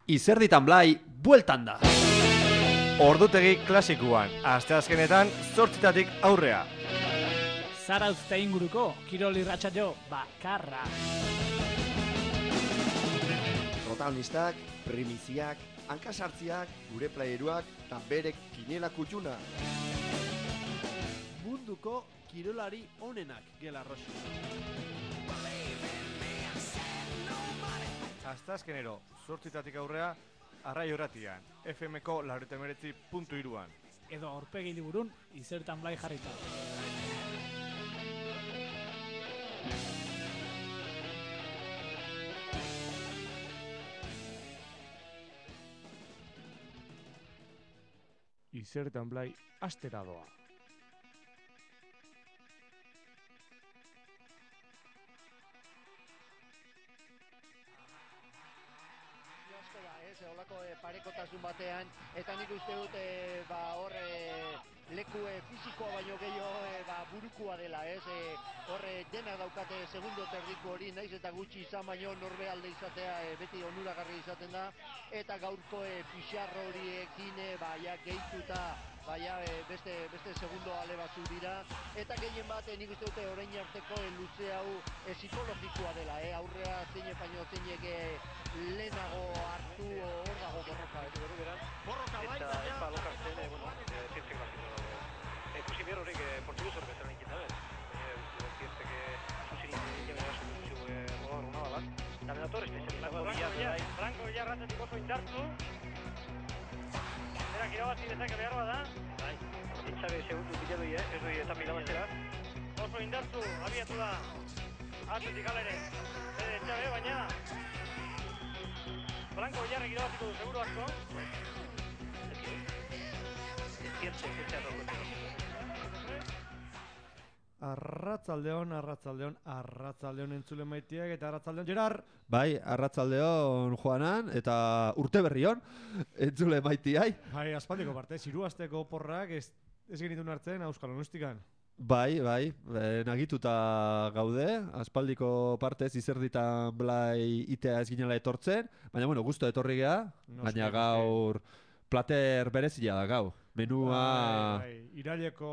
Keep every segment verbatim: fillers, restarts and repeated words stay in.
Izerditan Blai, bueltan da! Ordutegi klasikuan, asteazkenetan zortzitatik aurrea. Zarauzta inguruko, kirol irratsaio bakarra. Protagonistak, primiziak, hankasartziak, gure playeruak, eta berek kinela kutxuna. Munduko kirolari onenak gela rosi. Asteazkenero, zortzitatik aurrea, Arrai Horratian, F M-ko laurogeita hemeretzi puntu hiruan. Edo aurpegi liburun, Izerditan Blai jarrita. Izerditan Blai astera doa. Olako e, parekotasun batean, eta nik uste dut e, ba, hor e, leku e, fizikoa baino gehiago e, ba, burukua dela, ez? E, hor e, denak daukate segundo terdiku hori, naiz eta gutxi izan baino norbe alde izatea e, beti onuragarri izaten da, eta gaurko e, pixarro horiekin e, ba, ja, gehituta ba, ja, e, beste, beste segundo ale batzu dira, eta gehien bat e, nik uste dute orain arteko e, luze hau e, psikologikoa dela, e, aurrea zeinek baino zeinek e, lehenago hartu hor dago borroka, ez dugu beran. Borroka bai, eta epa lokartzen, e, bueno, zientzek bakito dago. Ekusi behar horrek portuguz horrek ezaren egiten dabe. Zientzek zuzin egiten gara zuzio rogar hona balat. Eta menator espezializako bilaz da. Franko Villar ratzetik oso indartu. Berak irabazi dezake behar bada. Bai, itxabe segundu bila doi, ez doi eta pilabaztera. Oso indartu, abiatu da. Atletik alere. Ede itxabe, baina Franko Villarrek irabaziko du seguru asko. Arratzaldeon, arratzaldeon, arratzaldeon entzule maitiak eta arratzaldeon Gerard. Bai, arratzaldeon Juanan eta urte berrion entzule maitiai. Bai, aspaldiko parte, ziruazteko porrak ez, ez genitun hartzen Euskal Onustikan. Bai, bai, e, nagituta gaude, aspaldiko partez Izerditan Blai itea ez ginela etortzen, baina bueno, gusto etorri geha, No, baina ske, gaur plater berezia da gau. Menua... Bai, bai. Iraileko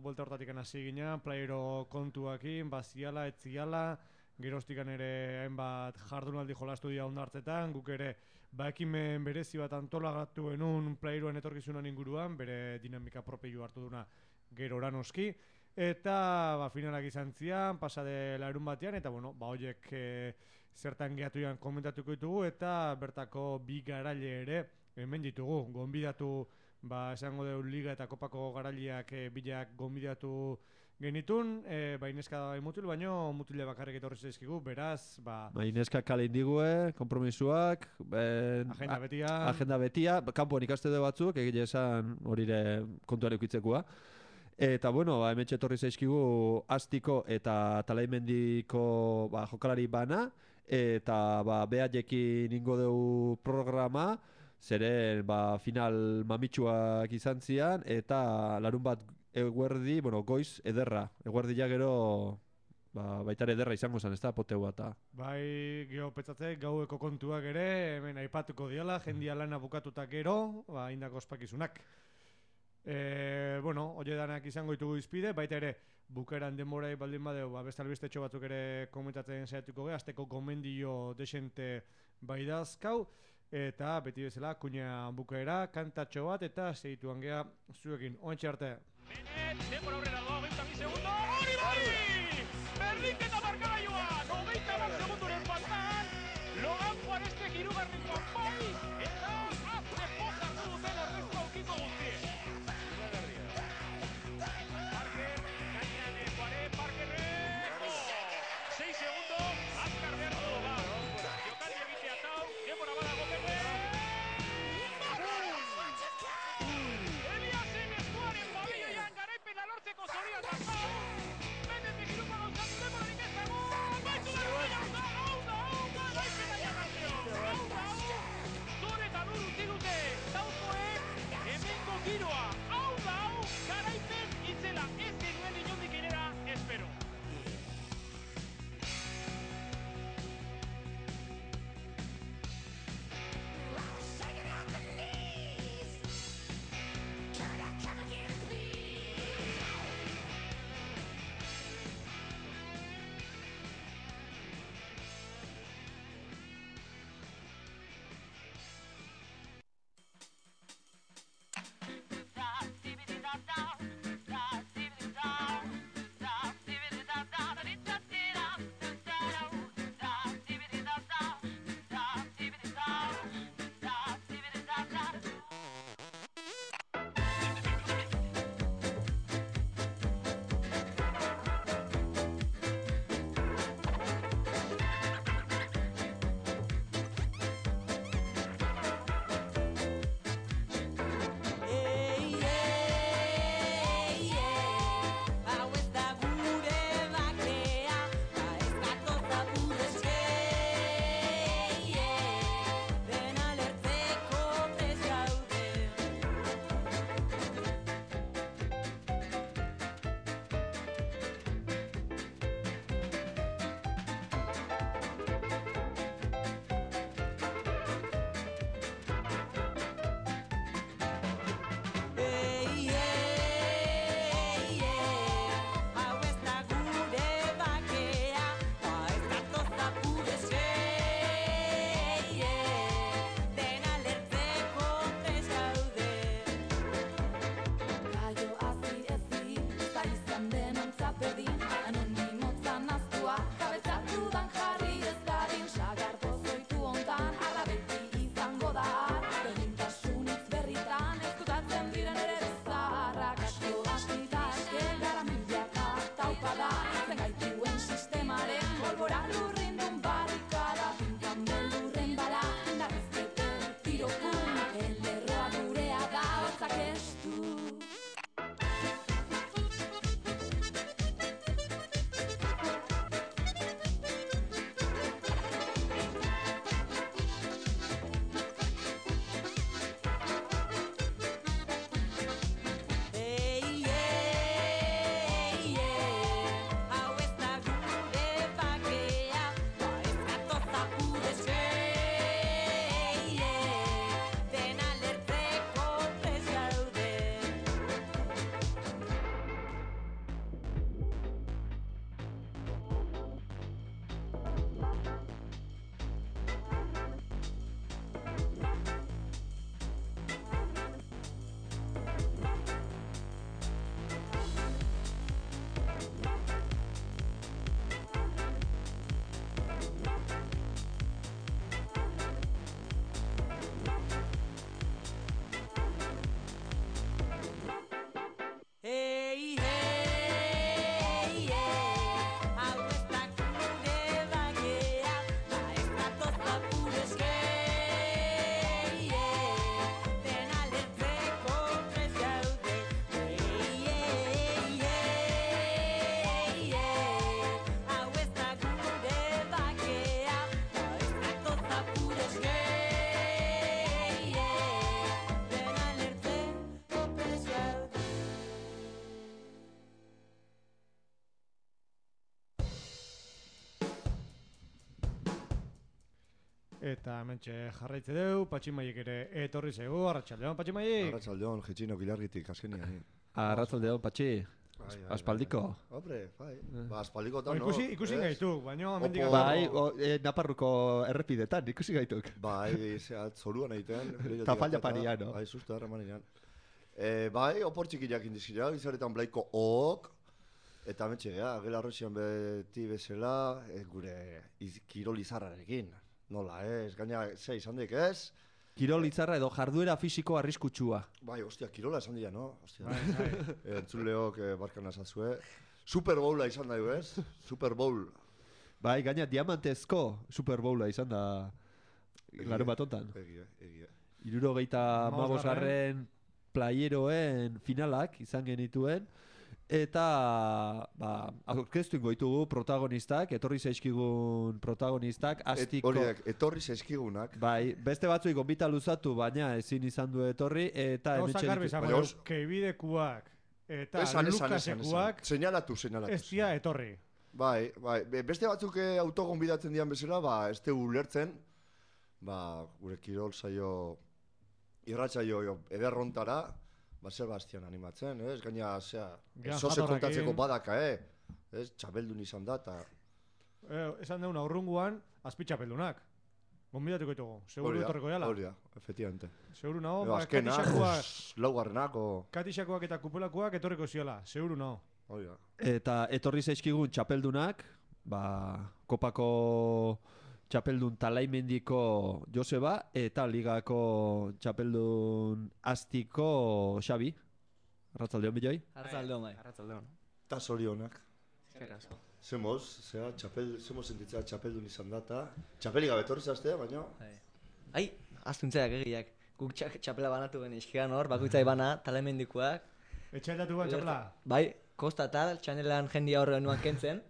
buelta hortatik hasi ginen, playero kontuakin, baziala, etziala, geroztikan ere hainbat jardunaldi jolastu dira ondartzetan, guk ere ba ekimen berezi bat antolagatu genuen playeroen etorkizunan inguruan, bere dinamika propio hartu duna gero oranoski. Eta ba, finalak izan zian, pasade larun batean, eta bueno, ba horiek e, zertan gehatu ian komentatuko ditugu, eta bertako bi garaile ere hemen ditugu. Gonbidatu, ba esango dugu liga eta kopako garaileak e, bilak gonbidatu genitun, e, ba ineska da bai mutil, baino mutile bakarrik etorri zaizkigu, beraz, ba... Ba ineska kale indigue, kompromisuak, ben, agenda betia... Agenda betia, kanpoan ikaste du batzuk, egile esan horire kontuare ukitzekua. Eta bueno, ba, hementxe etorri zaizkigu Astiko eta Talaimendiko ba, jokalari bana, eta ba, behaiekin ingo dugu programa, zeren ba, final mamitsuak izan zian, eta larun bat eguerdi, bueno, goiz ederra, eguerdi ja gero ba, baitare ederra izango zen, ez da, poteu bat. Bai, geho petzatzek, gaueko kontuak ere, hemen aipatuko diala, jendia lana bukatuta gero, ba, indako ospakizunak. E, bueno, oie danak izango ditugu izpide, baita ere bukeran denborai baldin badeu, ba, beste albistetxo batzuk ere komentatzen saiatuko ge, azteko gomendio desente bai dazkau, eta beti bezala kuña bukaera, kantatxo bat, eta segituan gea zuekin, oentxe arte. Benet, denbora horrela doa, hogeita bi segundo, hori bai! Berdinketa markagailua, hogeita bat segunduren faltan, Logan Juarestek hirugarrenkoan bai, eta azte poza hartu duten ordezko aukiko guztien. seis segundo, azkar behar du Logan. Jokaldi egitea tau, denbora badago Benet! Eliasen eskuaren familian garaipena lortzeko zorian dakau! Eta mentxe jarraitze deu, Patximaiek ere etorri zego, arratsaldeon Patximaiek. Arratsaldeon, jetxinok ilargitik, azkenian. Arratsaldeon, Patxi. Aspaldiko. Hombre, bai. Ba, aspaldiko Ba, ikusi, ikusi gaituk, baina amendik Opo. Bai, o, e, Naparruko errepidetan, ikusi gaituk. Bai, zehat, zoruan egiten. Ta falla paria, no? Bai, susto erremanian. E, bai, opor txikiak indizkira, izaretan blaiko ok. Eta metxe, gea, gela arroxian beti bezala, e, gure iz, kirol izarrarekin. Nola, ez, gaina, ze izan dik, ez? Kirol itzarra edo jarduera fisiko arriskutsua. Bai, ostia, kirola esan dira, no? Ostia. Bai, bai. E, entzuleok, e, barkan azazue. Super Bowla izan da, ez? Super Bowl. Bai, gaina diamantezko Super Bowla izan da larun bat hontan. Egia, egia. Hirurogeita hamabosgarren playeroen finalak izan genituen. Eta, ba, aurkeztu ingo ditugu protagonistak, etorri zaizkigun protagonistak, astiko... Et, horiek, etorri zaizkigunak. Bai, beste batzui gonbita luzatu, baina ezin izan du etorri, eta Gauza hementxe garbi ditu- izan Baina dugu, os- keibidekuak eta Esan, esan, esan, esan. Lukasekuak Seinalatu, seinalatu. ez dira etorri. Bai, bai, be- beste batzuk eh, autogon bidatzen dian bezala, ba, ez tegu ulertzen, ba, gure kirol saio, irratsaio jo, ederrontara, ba, Sebastian animatzen, ez? Gaina, zea, Gian zoze jatorrakin. kontatzeko badaka, eh? Ez, txabeldun izan da, eta... Eh, esan deun aurrunguan, azpitxapeldunak. Gonbidatuko ditugu, seguru etorriko jala. Hori da, efectivamente. Seguru nago, Edo ba, azkena, katixakoak, laugarrenak, o... katixakoak eta kupulakoak etorriko ziola, seguru nago. Hori da. Eta etorri zaizkigun txapeldunak, ba, kopako txapeldun Talaimendiko Joseba eta ligako txapeldun Astiko Xabi. Arratsaldeon biloi. Arratzaldeon, bai. Arratsaldeon. Ta zorionak. Eskerrik asko. Zemoz, zera, txapel, zemoz sentitzea txapeldun izan da, eta... Txapeli gabe etorri zaztea, baina... Bai. Ai, aztuntzeak egiak. Guk txak, txapela banatu gen izkian hor, bakoitzai bana, talemendikoak. Etxailatu bat txapela. Bai, kosta tal, txanelan jendia horre nuan kentzen.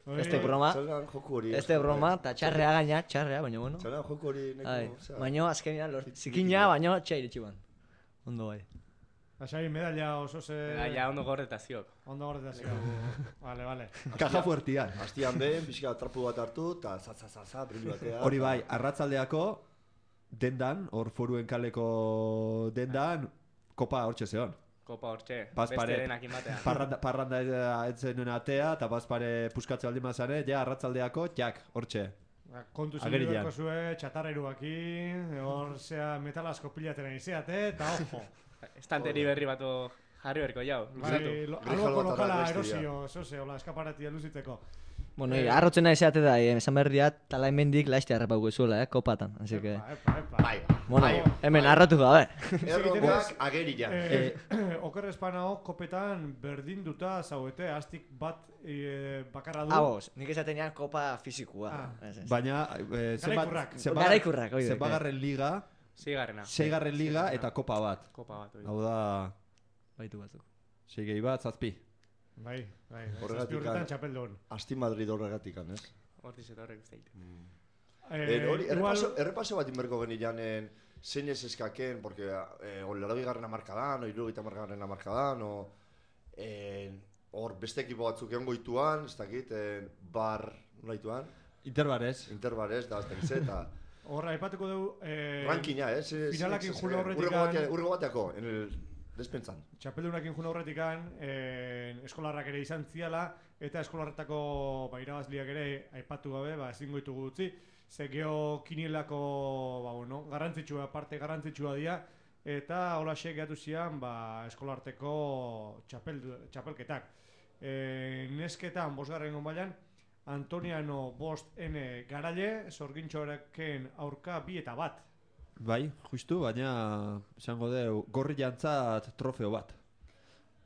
Hori- Este broma, Txalan joku hori... este broma, eta txarrea gaina, txarrea, baina bueno. Txalan joku hori... Bai, neko, zera, baina azkenean lort, zikina, baina txaire txiban. Ondo bai. Lasai, medalla oso ze... Eta ja ondo gorretaziok. Ondo gordetazio. Vale, vale. Kaja fuertian. Astian behin, pixka trapu bat hartu, eta za-za-za-za, brillu batea. Hori bai, arratsaldeako dendan, hor foruen kaleko dendan, kopa hortxe zeon. Kopa hortxe, Bazpare. beste denak imatean. Parranda, parranda etzen atea, eta bazpare puskatze aldi mazare, ja arratsaldeako, jak, hortxe. Ba, kontu Agerian. zinduko zue, txatarreruakin, hor zea metalasko pilatera izeate, eta ojo. Estanteri berri bato jarri berko jau. Bai, lo- Grijalo alboko eta lokala errestia. erosio, zoze, hola, eskaparatia luzitzeko. Bueno, Eh, arrotzen nahi zeate da, eh, esan behar diat, talaimendik laizte harrapauko ezuela, eh, kopatan. Así que, Epa, epa, epa. Bai, bueno, bai. hemen arrotu gabe. Erronkak agerian. Eh, oker espanao, kopetan berdinduta zauete, astik bat eh, bakarra du. Ah, bos, nik esatenean kopa fizikua. Ah. Ez, ez. Baina, eh, Garaikurrak. zenbat- Garaikurrak, oide. zenbagarren liga, Zigarrena. seigarren liga eta kopa bat. Kopa bat. hori. Hau da, Baitu batzuk. sei gehi bat, zazpi. Bai, bai, bai, Horregatik zazpi urtetan an- txapeldun. Asti Madrid horregatikan, ez? Hortiz eta horrek uste ditu. Eh, Eh, hori, igual, errepaso, errepaso bat inberko genian zeinez eskaken, porque eh, olerabi garren amarkadan, o irurogeita amarkadan amarkadan, o eh, hor beste ekipo batzuk egon goituan, ez dakit, eh, bar, nola ituan, Interbarez. interbarez, da, ez dakit, eta horra, aipatuko dugu... Eh, rankina, ez? ez- finalakin ez- ez- jula horretik urrengo an- batea- urrengo bateako, en el despentzan. Txapeldunakin juna horretikan, eh, eskolarrak ere izan ziala, eta eskolarretako ba, irabazliak ere aipatu gabe, ba, ezin goitugu utzi, ze geho kinielako, ba, bueno, garrantzitsua, parte garrantzitsua dira, eta holaxe gehatu zian, ba, eskolarteko txapel, txapelketak. E, nesketan, bosgarren gonbailan, Antoniano bost N garaile, sorgintxorekin aurka bi eta bat. Bai, justu, baina esango deu, gorri jantzat trofeo bat.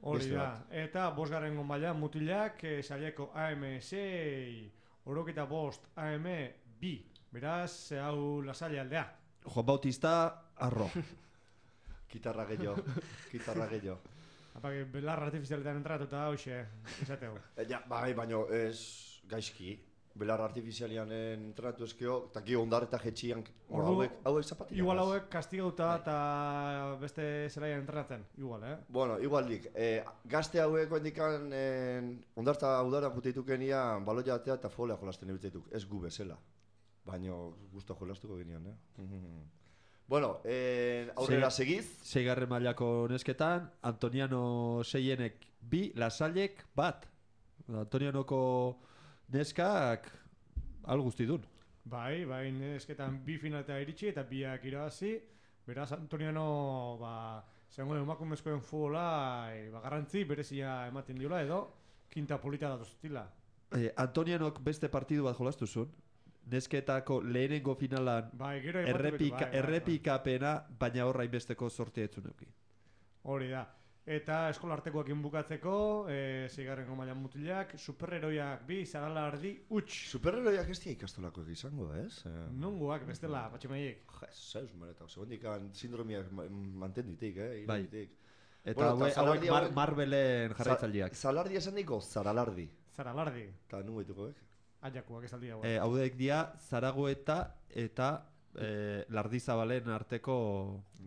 Hori Beste da, eta bosgarren gonbailan mutilak, eh, saileko A M sei, oroketa bost A M bi. Beraz, hau lasalle aldea. Juan Bautista, arro. Kitarra gehiago, kitarra gehiago. Apak, belar artifizialetan entratuta hoxe, izateu. E, ja, bai, baino ez gaizki. Belar artifizialian entrenatu ezkeo, eta gio ondar eta jetxian, Ordu- hauek, hauek zapatilla. Igual hauek kastigauta eta beste zelaian entrenatzen, igual, eh? Bueno, igualdik, eh, gazte hauek oendikan eh, ondarta udara juteitukenia baloia atea eta folea jolasten ebitzetuk, ez gu bezala. Baina gusto jolastuko ginean, eh? Bueno, eh, aurrera segiz. Seigarren mailako nesketan, Antoniano seienek bi, Lasallek bat. Antonianoko neskak al guzti dun. Bai, bai, nesketan bi finaleta iritsi eta biak irabazi. Beraz, Antoniano, ba, zegoen emakumezkoen futbola, e, ba, garrantzi berezia ematen diola edo, kinta polita datuztila. Eh, Antonianok beste partidu bat jolastu zuen. Nesketako lehenengo finalan bai, gero errepika, bai, bai, errepikapena, baina horra inbesteko sortea etzun euki. Hori da. Eta eskolartekoekin bukatzeko, e, zeigarrengo mailan mutilak, superheroiak bi, zaralardi, huts. Superheroiak ez dia ikastolakoek izango, ez? Eh, Nungoak, bestela, patxemaiek. Jesus, mareta, segundikan sindromiak manten ditik, eh? Bai. Ditik. Eta bueno, hauek Mar Marvelen jarraitzaileak. Zalardi esan diko, zaralardi. Zaralardi. Eta nungo ditukoek? Aiakuak esaldi hau. Eh, hauek dia Zaragoeta eta eh, Lardizabalen arteko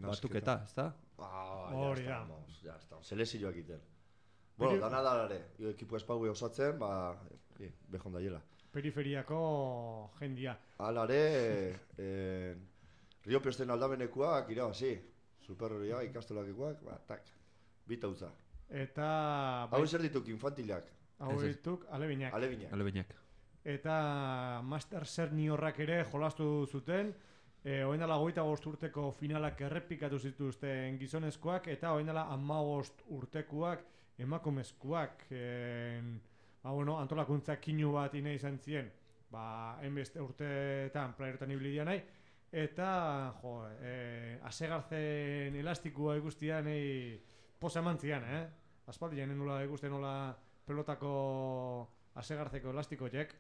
batuketa, ezta? Ah, hori ya da. estamos, ya estamos. Selezioak iten. Bueno, dana da ere, ekipo espaue osatzen, ba, e, behon daiela. Periferiako jendia. Alare, eh, Rio Pesten aldamenekuak irabazi. Superheroia ikastolakikoak, ba, tak, bitautza. Eta... Hau zer dituk infantilak? Hau dituk alebinak. Alebinak. Alebinak. Eta Master Seniorrak ere jolastu zuten. E, oen dela goita bost urteko finalak errepikatu zituzten gizonezkoak, eta oen dela hamabost urtekoak emakumezkoak. E, ba, bueno, antolakuntza kinu bat ine izan zien, ba, enbeste urteetan playerotan ibili nahi, eta, jo, e, asegarzen elastikoa ikustian nahi posa eman zian, eh? Aspaldian nola ikusten nola pelotako asegartzeko elastikoek.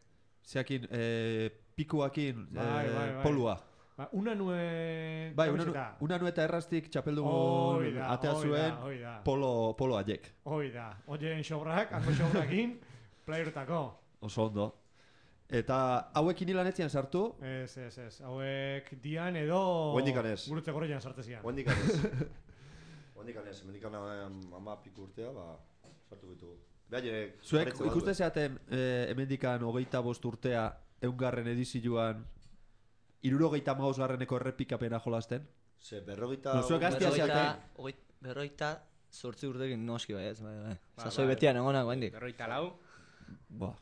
Zeakin, eh, pikuakin, bai, eh, bai, bai. polua. Ba, una nue... Bai, una, una nue eta erraztik txapeldugun atea zuen polo, polo aiek. Hoi da, oien xobrak, hango xobrakin, playerotako. Oso ondo. Eta hauekin hilanetzian sartu? Ez, ez, ez. Hauek dian edo... Huendikan ez. Gurutze gorrian sartezian. Huendikan ez. Huendikan ez. Huendikan ama piku urtea, ba, sartu bitu. Zuek, ikuste zeaten eh, hemendikan hogeita bost urtea eungarren edizioan irurogeita maus garreneko errepikapena jolasten? Ze, berrogeita... No, zuek gaztia zeaten? Berrogeita sortzi urtekin noski bai ez, bai, bai. Sasoi betian egonak, guendik. Berrogeita lau. Ba,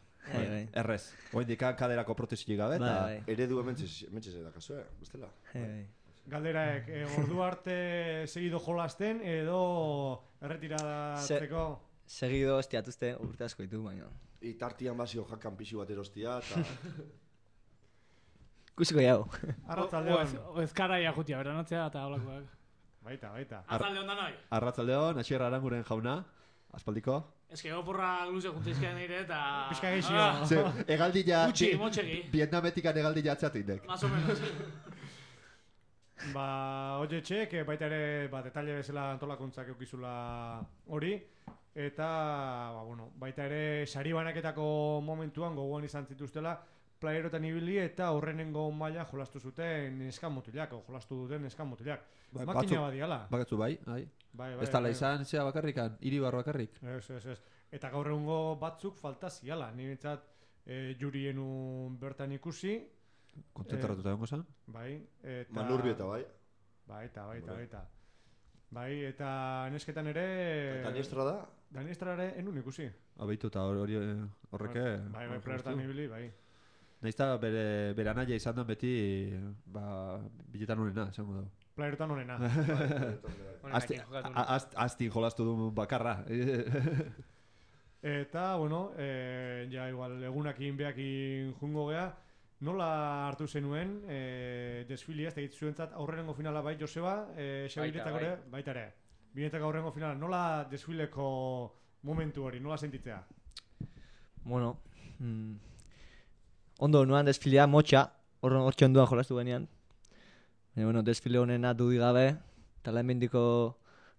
errez. Guendikan kaderako protesik gabe, eta... Eredu hementxe zedakazue, bestela. Galderaek, e, ordu arte segido jolasten edo erretiratzeko... Segido estiatuzte urte asko ditu, baina... Itartian basio jakan pixu bat erostia, eta... Kusiko jau. Arratzaldeon. Ezkara iajutia, beranatzea eta holakoak. Baita, baita. Arratzaldeon da noi. Arratzaldeon, Asier Aranguren jauna, aspaldiko. Ez que gopurra luze juntizkean nire eta... Pizka geixio. Ze, egaldilla... Gutxi, motxegi. Vietnametikan egaldilla atzatu indek. Más o menos. Ba, oie txek, baita ere, ba, detalle bezala antolakuntzak eukizula hori. Eta, ba, bueno, baita ere, sari banaketako momentuan gogoan izan zituztela, playerotan ibili eta horrenengo maila jolastu zuten neskan mutilak, o jolastu duten neskan mutilak. Bai, makina badiala. Bakatzu bai, bai. Bai, bai, ez tala bai. izan, zea bakarrikan, iribar bakarrik. Ez, ez, ez. Eta gaur egungo batzuk falta ziala. Ni bintzat e, jurienu bertan ikusi. Kontentaratuta egongo zan? Bai. Eta... Manurbieta, bai. Baita, baita, baita. Bai, eta nesketan ere... Eta diestra da? Daniestra ere enun ikusi. Abeitu eta hori horreke... Bai, bai, playertan ibili, bai. Naizta bere, bere anaia izan den beti, ba, biletan honena, esango dago. Playertan honena. Aztin jolastu du bakarra. Eta, bueno, e, ja igual egunakin behakin jungo gea, nola hartu zenuen e, desfilia, ez da zuentzat aurrenengo finala bai, Joseba, e, Xabiretak ere, baita ere. Binetak aurrengo finala, nola desfileko momentu hori, nola sentitzea? Bueno, mm, ondo nuan desfilea motxa, horren hortxe onduan jolastu genean. E, bueno, desfile honena dudik gabe, eta lehen bendiko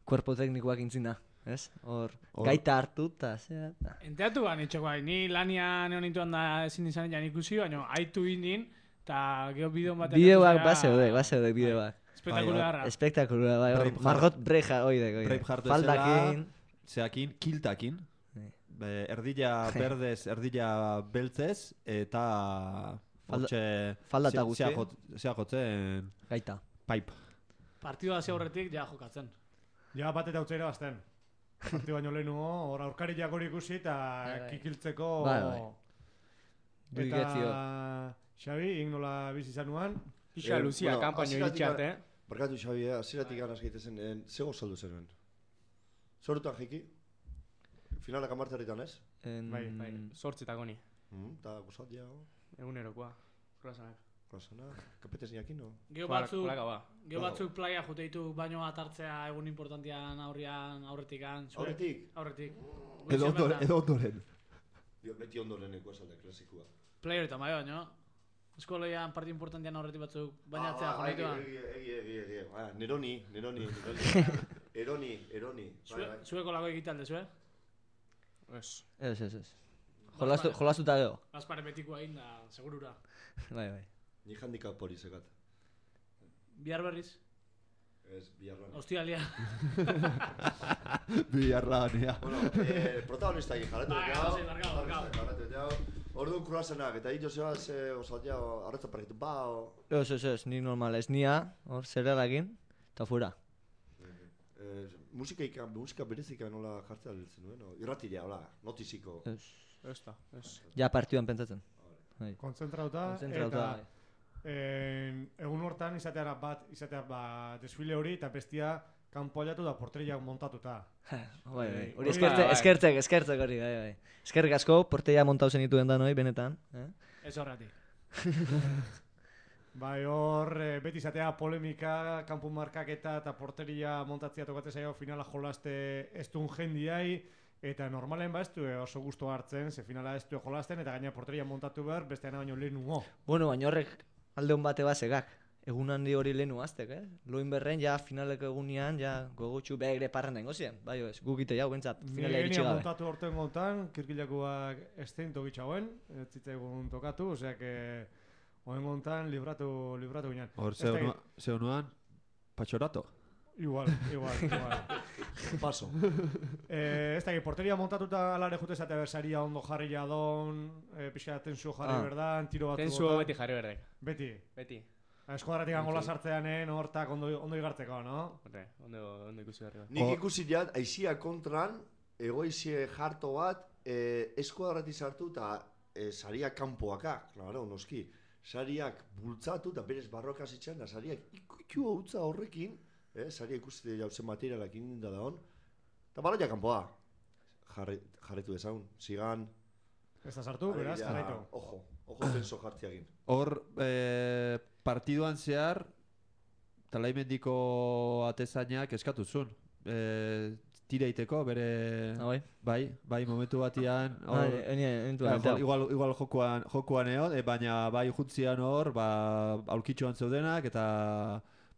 kuerpo teknikoak intzina, ez? Hor, gaita hartu, eta zera... Enteatu ban, itxeko bai, ni lanian egon nintuan da ezin izan egin ikusi, baina haitu indin, eta geho bideon batean... Bideoak, baseudek, baseudek bideoak. Espektakularra. Espektakularra, bai, hor, Margot Breja, oidek, oidek. Faldakin... Zeakin, kiltakin. Erdila berdez, erdila beltzez, eta Hortxe... falda eta zea- guzti. zea jot- Zea jotzen... Gaita. Pipe. Partidua hasi aurretik ja jokatzen. Ja bat eta utzera bazten. Parti baino lehenugo, hor aurkari jakori ikusi eta Bai, bai. kikiltzeko... Bai, bai. Eta Duiketzio. Xabi, ing nola bizi zanuan? Ixa Eh, Luzia bueno, kanpaino hasieratik iritsi arte. Barkatu Xabi, eh, hasieratik gana egitezen, eh, zego saldu zenuen. Zorutan jiki? Finalak amarterritan ez? En... Bai, Bai, sortzitako ni. Mm, Eta gozat ja, Egunerokoa. Kroasanak. klasana, kapetez niakin, no? Geo Plaka- batzuk, plaka ba. geo Plaka. batzuk playa juteitu baino bat hartzea egun importantian aurrian, aurretikan. zure- Aurretik? Aurretik. Edo Goizean ondoren. bertan. Edo ondoren. Dio, beti ondoreneko esalde klasikua. Player eta bai baino. Eskoleian parti importantian aurretik batzuk bainatzea Ah, egi, jonituan. egi, egi, egi, egi. Ah, Neroni, Neroni, Neroni. Eroni, Eroni. Bai, bai. Zueko lago egitea alde zue? Ez. Ez, ez, ez. Jolastu, jolastuta gero. Gaspare betikoa egin da, segurura. Bai, bai. Ni handicap hori zekat. Bihar berriz, Ez, biharran. ostialia. Biarranea. Bueno, eh, protagonista egin jarratu Bai, jau. sí, barkatu, barkatu. Jarratu jau. Orduan kruasanak, eta hito zeba ze osaltia arretza parkitu ba, o... Ez, ez, ez, ni normal, ez nia, hor, zerrelakin, eta fuera. Eh, musika ikan, musika berezika nola jartzea liltzen duen, no? Irratiria, hola, notiziko. Ez. Ez da, ez. Ja partioan pentsatzen. Bai. Kontzentrauta, Kontzentrauta, eta bai. en, egun hortan izatea bat, izatea ba, desfile hori, eta bestia kanpo aldatu da porteriak montatuta. Bai, bai. Hori Hori da, eskertzek, bai. eskertzek, eskertzek hori, bai, bai. Eskerrik asko, porteia montau zenituen da noi, benetan. Eh? Ez horretik. Bai, hor, eh, beti izatea polemika, kanpu markaketa eta porteria montatzea tokatzen zaio finala jolaste ez duen jendiai, eta normalen ba ez du eh, oso gusto hartzen, ze finala ez du jolasten, eta gaina porteria montatu behar, besteana baino lehenugo. Bueno, baina horrek alde hon bate bazegak. Egun handi hori lehenu aztek, eh? Loin berren, ja finaleko egunean, ja gogotxu begre parran nengo ziren. Bai, ez, gukite jau, bentsat, finalea iritsi Nire gabe. montatu horten gontan, kirkilakoak ez zein tokitxauen, ez zitzaigun tokatu, osea que oen gontan libratu, libratu ginen. Hor, Ez ze dakit- honua- ze honuan, patxorato. Igual, igual, igual. Paso. Eh, ez dakit, porteria montatuta alare jute zatea bersaria ondo jarri jadon, eh, pixa tensuo jarri Ah. berdan, tiro batzu Tensuo bota. beti jarri berdek. Beti. Beti. Eskuadratik angola sartzeanen, hortak ondo, ondo igartzeko, no? Horre, ondo, ondo ikusi berri bat. Nik Hor- ikusi jat, aizia kontran, egoizie jarto bat, eh, eskuadrati sartu eta eh, saria kanpoaka, claro, noski. Sariak bultzatu eta berez barroka zitzen, da sariak ikutu hautza horrekin, eh, saria ikusi jauzen materialak indinda da hon, eta baloia kanpoa. Jarri, jarritu dezagun, zigan... Ez da sartu, beraz, alegia, jarraitu. Ojo, ojo tenso jartziagin. Hor, eh, partiduan zehar, talaimendiko atezainak eskatu zuen. Eh, tira iteko, bere... Ah, bai? Bai, bai, momentu batian... Ah, hor- eni, eni, Ja, jo- igual, igual jokuan, jokuan egon, e, baina bai juntzian hor, ba, aulkitxoan zeudenak, eta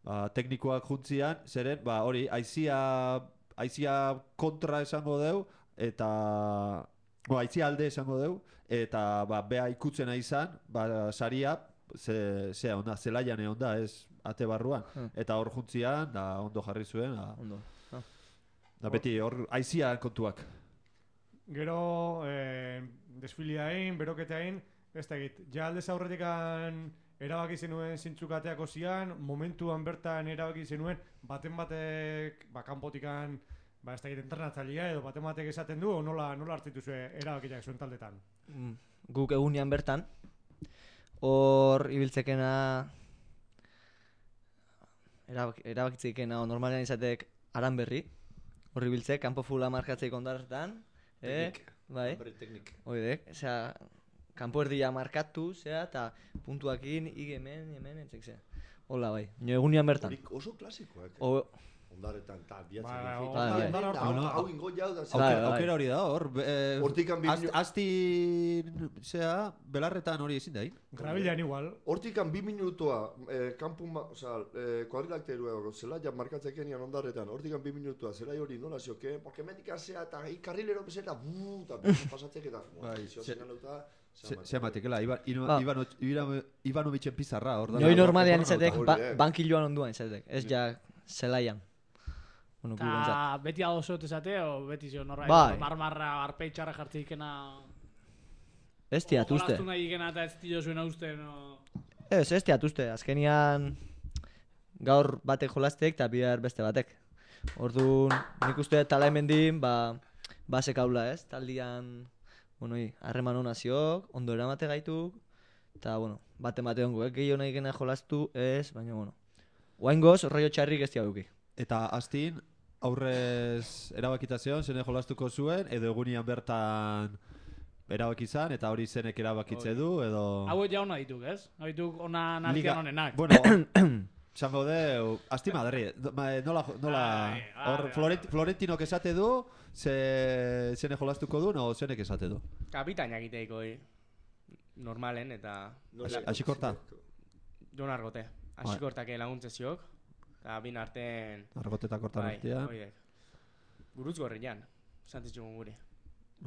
ba, teknikoak juntzian, zeren, ba, hori, aizia, aizia kontra esango deu, eta, bo, aizia alde esango deu, eta, ba, bea ikutzena izan, ba, saria, ze, ze onda, zelaian egon da, ez, ate barruan, Hmm. eta hor juntzian, da, ondo jarri zuen, da, Ondo. Ah. da beti, hor, aizia kontuak. Gero, eh, desfiliain, beroketeain, ez da egit, ja aldez aurretikan erabaki zenuen zintzukateako zian, momentuan bertan erabaki zenuen, baten batek, ba, kanpotikan, ba, ez da egit, entrenatzailea edo baten batek esaten du, o nola, nola hartzitu zuen erabakiak zuen taldetan. Mm, Guk egunean bertan, hor ibiltzekena, erabak, erabakitzekena, normalean izatek aran berri, hor ibiltzek, kanpo fula markatzeik ondarretan, eh? Teknik. Bai, Hombre, teknik. oidek, osea, kanpo erdia markatu, zera, eta puntuakin, ig hemen, hemen, etzek zera. Hola, bai, nio egunean bertan. Horik oso klasikoak. eh. O, Ondarretan, ta, biatzen. Ba, dut. o- Bai, bai. ondar hortan. Hau- Bueno, Hau ingo jau da. Bai, Aukera, bai. aukera hori da, hor, eh, Hortikan bi ast- minu- asti, zera, belarretan hori ezin da, hin? Grabilean igual, Hortikan bi minutua, eh, kanpu, ma, oza, eh, kuadrilakterua, zelaia markatzekenian ondarretan, hortikan bi minutua, zelai hori nola zioke, porque mendik asea eta hi karrilero bezera, buu, eta pasatzek eta, Bai, zio ze- zinalauta, Ze matikela, Ivan, Ba. Ivano, Ivano, Ivanovitzen pizarra, hor da. Noi normalean hori izatek, da. ba, bankiloan onduan izatek, ez ja zelaian. Bueno, gu bentsat. Eta beti adosot esate, o beti zio norra, Bai. marmarra, arpeitxarra jartzeikena... Ez tiat uste. Jolastu nahi ikena eta ez tio zuen uste, no... Ez, ez tiat uste. Azkenian gaur batek jolastek eta bihar beste batek. Orduan, nik uste Talaimendi, ba, basek haula ez, taldian, bueno, harreman hona ziok, ondo eramate gaituk, eta, bueno, bate mate hongo, eh? Gehiago nahi gena jolastu, ez, baina, bueno, oaingoz, rollo txarrik ez diaguki. Eta astin, aurrez erabakitazion, zene jolastuko zuen, edo egunian bertan erabaki izan, eta hori zenek erabakitze du, edo... Hau ja hona dituk, ez? Hau dituk hona narkian honenak. Bueno, zango deu, asti Madri, nola, nola, hor Florent, Florentinok esate du, ze, zene jolastuko du, no, zenek esate du? Kapitainak iteiko, normalen, eta... Asikorta? Jon Argote. Asikortak laguntze ziok, eta bin arten... Argote eta kortan artea. Buruz gorrian, santzitxugun guri.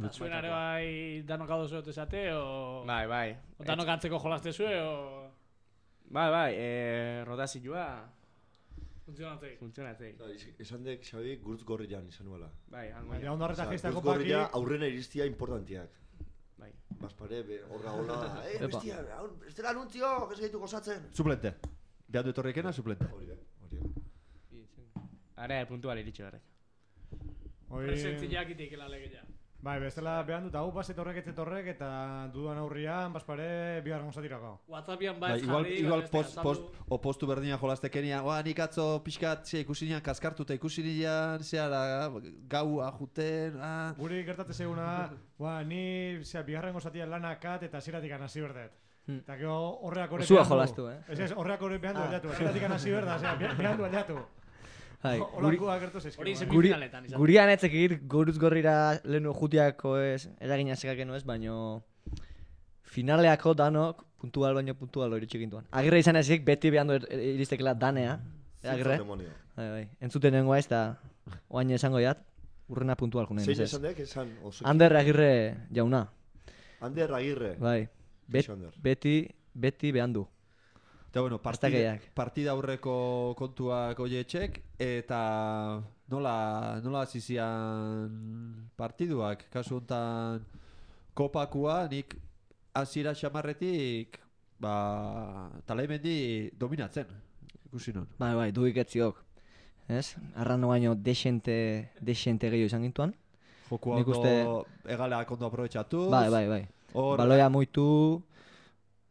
Zuen are bai danok hau zuet esate, o... Bai, bai. O danok antzeko jolaste zue, o... Bai, bai, eh, rotazioa... Funtzionatzei. Funtzionatzei. Esan dek, Xabi, gurtz gorrian izan nuela. Bai, hango ja. Ondo arreta geiztako paki... Gurtz gorria aurrena iristia importantiak. Bai. Baspare, horra hola, eh, bestia, ez dela anuntzio, ez gaitu gozatzen. Suplente. Behan du etorrikena, suplente. Hori da, hori da. Are, puntual iritsi garrek. Presentziak itik elalegea. Bai, bestela behan dut, hau baset horrek ez horrek eta dudan aurrian, baspare, biharren gozatirako. Whatsappian bai ez igual, jarri... Igual post, post, o postu berdina jolastekenia, oa nik atzo pixkat ze ikusinean kaskartuta ikusinean, zeara gau ajuten, ah... Guri gertate zeguna, ba, ni zera, biharren gozatian lanakat eta ziratik anasi berdet. Eta gero horreak horrek behan du. Zua jolastu, eh? Ez ez, horreak horrek behan du aldatu, ziratik anasi berda, zera, behan du aldatu. Olakoa gertu zeizkigu. Hori semifinaletan izan. Gurian etzekir, guruz gorrira lehenu jutiako ez, eragina zekakeno ez, baino finaleako danok puntual baino puntual hori txikintuan. Agirre izan ezik, beti behan du iristekela danea. Agirre. Bai, bai. Entzuten nengoa ez da, oain esango jat, urrena puntual junen. Zein esan dek, esan oso... Ander Agirre jauna. Ander Agirre. Bai. Beti, beti behan du. Eta bueno, partida, partida aurreko kontuak oietxek, eta nola, nola zizian partiduak, kasu honetan kopakua, nik hasiera xamarretik, ba, Talaimendi dominatzen, ikusi non. Bai, bai, duik etziok, ez? Arrano baino desente, desente gehiago izan gintuan. Jokua ondo, uste... egaleak ondo aprobetxatu. Bai, bai, bai. Or... Baloia muitu...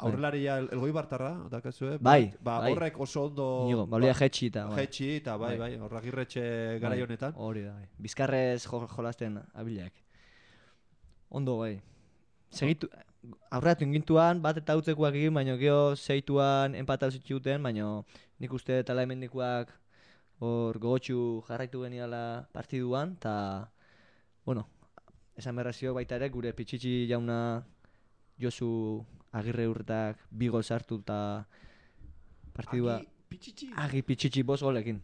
Aurrelaria elgoi bartarra, dakazue? Bai, ba, bai. Horrek oso ondo... Nigo, baloia jetxi eta... Jetxi eta bai, bai, horrak irretxe gara honetan. Hori da, bai. Bizkarrez jo, jolasten abilak. Ondo, bai. Segitu, aurreatu ingintuan, bat eta utzekoak egin, baina geho zeituan empatatu zitxuten, baina nik uste Talaimendikoak hor gogotxu jarraitu geniala partiduan, eta, bueno, esan berrazio baita ere, gure Pichichi jauna Josu Agirre urtak bi gol sartu eta partidua... Agi Pichichi? Agi Pichichi bost golekin.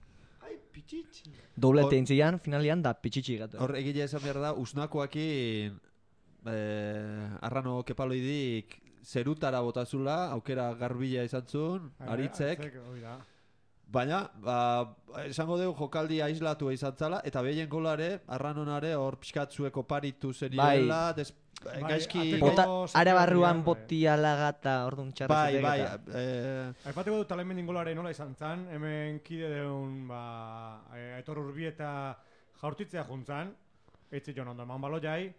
Ai, Pichichi. Doblete intzian, finalian da Pichichi gatu. Hor egile esan behar da, usnakoakin eh, arrano kepaloidik zerutara botazula, aukera garbila izan zuen, aritzek. Baina, ba, esango dugu jokaldi aislatua izan zala, eta behien golare, arranonare hor pixkatzueko paritu zeniela, des... Bai, gaizki... Are barruan boti alagata, orduan txarra bai, bai, eh... Aipateko dut Talaimendin golare nola izan zan, hemen kide deun, ba, Aitor Urbi eta jaurtitzea juntzan, eitzi joan ondo eman balo jai,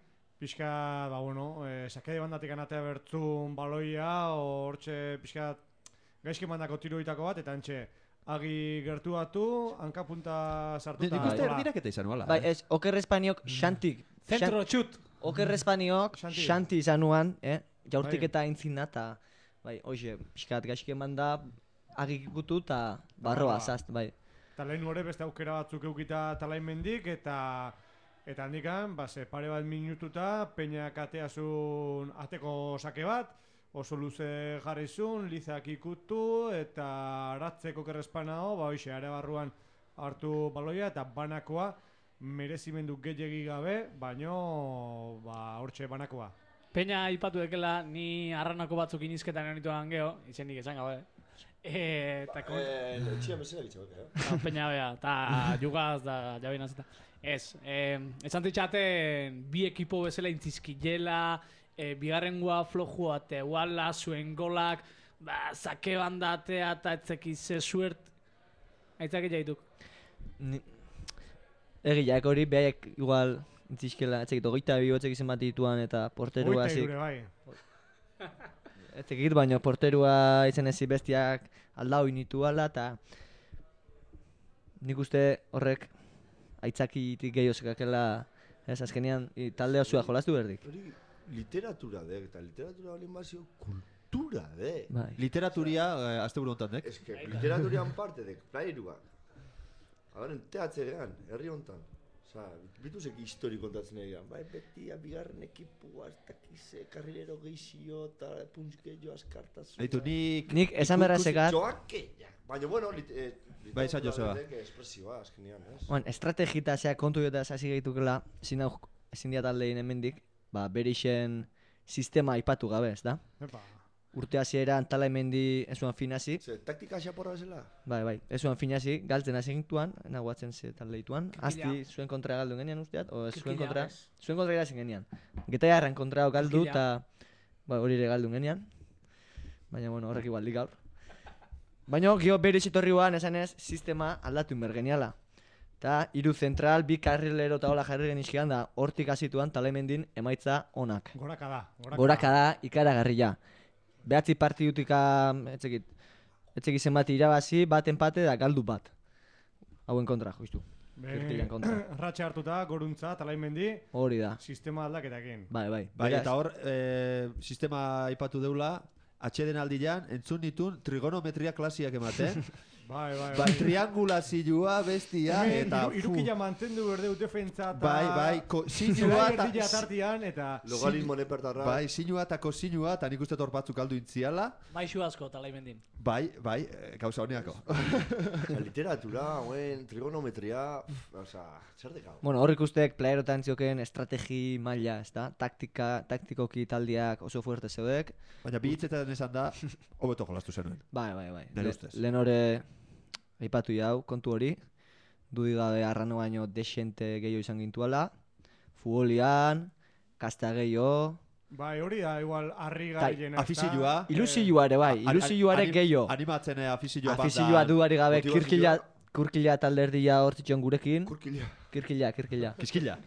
pixka, ba, bueno, eh, sakede bandatik anatea bertzun baloia, hortxe pixka gaizki mandako tiroitako bat, eta antxe, agi gertuatu, hankapunta sartuta... Nik uste erdiraketa izan nuala. Bai, ez, Oker Espaniok xantik. Zentro txut! Oker Espaniok xanti izan nuan, eh? Jaurtik eta aintzina, eta, bai, hoxe, pixkat gaizki eman da, agik ikutu eta barroa zazt, bai. Eta lehen hori beste aukera batzuk eukita Talaimendik, eta eta handikan, ba, ze pare bat minututa, Peñak ateazun ateko sake bat, oso luze jarrizun, Lizak ikutu, eta aratzeko kerrespanao, ba, hoxe, are barruan hartu baloia, eta banakoa, merezimendu gehiegi gabe, baino ba hortxe banakoa. Peña aipatu dekela ni arranako batzuk inizketan honituan geho, izenik esan gabe. Eh, ta kon... Eh, etxia mesera gitzak, eh. Ta Peña bea, ta jugaz da jabinaz eta. Ez, eh, esan ditzaten bi ekipo bezala intzizkilela, e, bigarrengoa flojua, eta iguala zuen golak, ba, zake bandatea eta etzeki ze suert, aitzak jaituk. Egiak hori, behaiek igual, entzizkela, etzekit, ogeita bi botzek izan bat dituan eta porterua Ogeita zik. irure, bai. Etzekit, baina porterua izan ezi bestiak aldau initu ala, eta nik uste horrek aitzakitik gehiago zekakela, ez, azkenean, i, talde osua jolastu berdik. Hori literatura dek, eta literatura balin bazio kultura dek. Bai. Literaturia, eh, azte buru hontan, dek? Ez que literaturian parte dek, playeruak. Habaren teatzerean, herri hontan. Osa, bituzek histori kontatzen egian. Bai, beti, bigarren ekipua, ez dakize, karrilero geixio, eta puntzkeio askartasun. Eitu, nik... Nik esan berra zekat... Joakeia. Baina, bueno, lit, eh, Bai, esan Joseba. espresioa, azkenean, ez? Bueno, estrategita zea kontu jota hasi gaitukela, ezin hau ezin diat aldein hemendik, ba, berixen sistema aipatu gabe, ez da? Epa. Urte hasieran tala hemendi ezuan finasi. Ze, taktika xaporra bezala? Bai, bai, ezuan finasi, galtzen hasi gintuan, naguatzen ze taldeituan. Kirkila. Asti zuen kontra galdu genean usteat, o zuen Kirkila, kontra, ez? zuen kontra irazen genean. Geta jarran kontra galdu Kirkila. eta ba, hori ere galdu genean. Baina, bueno, horrek igual gaur. Baina, gio bere izitorri guan, esan ez, sistema aldatu inber geniala. Ta, hiru zentral, bi karrilero eta hola jarri genizkian da, hortik hasituan talemendin emaitza onak. Goraka da. Goraka da, ikaragarria. Behatzi partidutika, etzekit, etzekit zenbat irabazi, bat empate da galdu bat. Hauen kontra, justu. Kirkilan kontra. Ratxe hartuta, goruntza, talaimendi, Hori da. sistema aldaketakin. Bai, bai. Bai, Beraz, eta hor, eh, sistema aipatu deula, atxeden aldian, entzun ditun trigonometria klasiak ematen. Bai, bai, Ba, triangulazioa, bestia, Hemen, eta... iru- irukila mantendu berdeu defentsa eta... Bai, bai, ko- sinua Zelai eta- erdila tartian, eta... Logaritmo nepertarra. Bai, sinua eta kosinua, eta nik uste hor batzuk aldu intziala. Baixu asko talaimendin. Bai, bai, eh, gauza honeako. Osa, literatura, hauen, trigonometria, pff, osa, zer dekau. bueno, hor ikustek playerotan zioken estrategi maila, ez da? Taktika, taktikoki taldiak oso fuerte zeudek. Baina bi hitzetan esan da, hobeto jolastu zenuen. Bai, bai, bai. Nire Le- ustez. Lehen hori aipatu jau, kontu hori. Dudi gabe arrano baino desente gehiago izan gintuala. Futbolian, kasta gehiago. Bai, hori da, igual, harri Tai, gailena. afizioa. Ilusioa ere bai, A- a- ilusioa ere anim- gehiago. Animatzen eh, afizioa bat da. Afizioa duari gabe, motivazioa. kirkila, kurkila talderdia hortzitzen gurekin. Kurkila. Kirkila, kirkila. Kiskila.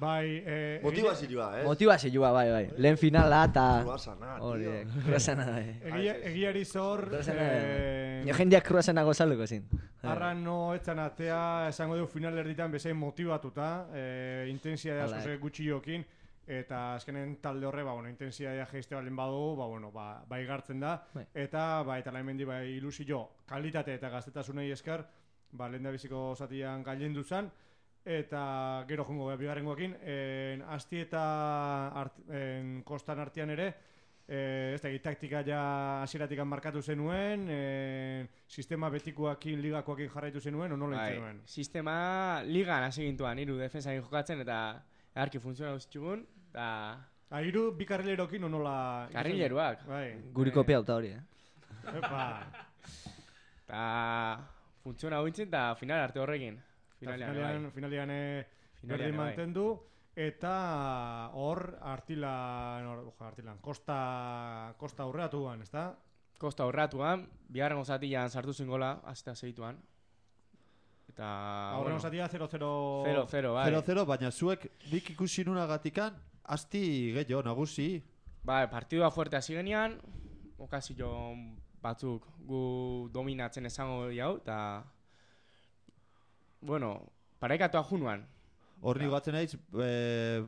Bai, eh... Motivazioa, ez? Motivazioa, bai, bai. Lehen finala eta... Kruasana, Hori, tío. kruasana, bai. Egia, egiari zor... Kruasana, eh, Nio jendeak kruasana gozaluko zin. Arran no etzan atea, esango dugu final erditan bezain motibatuta, eh, intensidade Hala, asko eh. ze gutxi jokin, eta azkenen talde horre, ba, bueno, intensidadea jeiste balen badugu, ba, bueno, ba, bai gartzen da, Bai. eta, ba, eta laimendi, bai, ilusio, kalitate eta gaztetasunei esker, ba, lehen da biziko zatian gailendu zan, eta gero jongo gara bigarrengoekin, en, asti eta art, en, kostan artean ere, Eh, ez da, taktika ja hasieratik markatu zenuen, eh, sistema betikoakin, ligakoakin jarraitu zenuen, o nola Bai, zenuen? sistema ligan hasi gintuan, hiru defensakin jokatzen eta eharki funtziona guztitxugun, eta Ah, hiru bi karrilerokin o nola... karrileruak. Bai. Guri kopia auta hori, eh? Epa. Eta funtziona hointzen eta final arte horrekin. Finalean, Finalean, bai. finalean eh, Finalean, berdin bai. mantendu, eta hor artilan, hor, oja, artilan, kosta, kosta aurreatuan, ezta? Kosta horratuan, bigarren zatian sartu zen gola, aztea segituan. Eta, Aurren bueno, osatia zero zero... zero zero, bai. zero zero, baina zuek nik ikusi nunagatikan, asti gehiago, nagusi. Bai, partidua fuerte hasi genian, okazio batzuk gu dominatzen esango jau, eta... Bueno, paraikatua junuan. Hor nik batzen naiz, eh,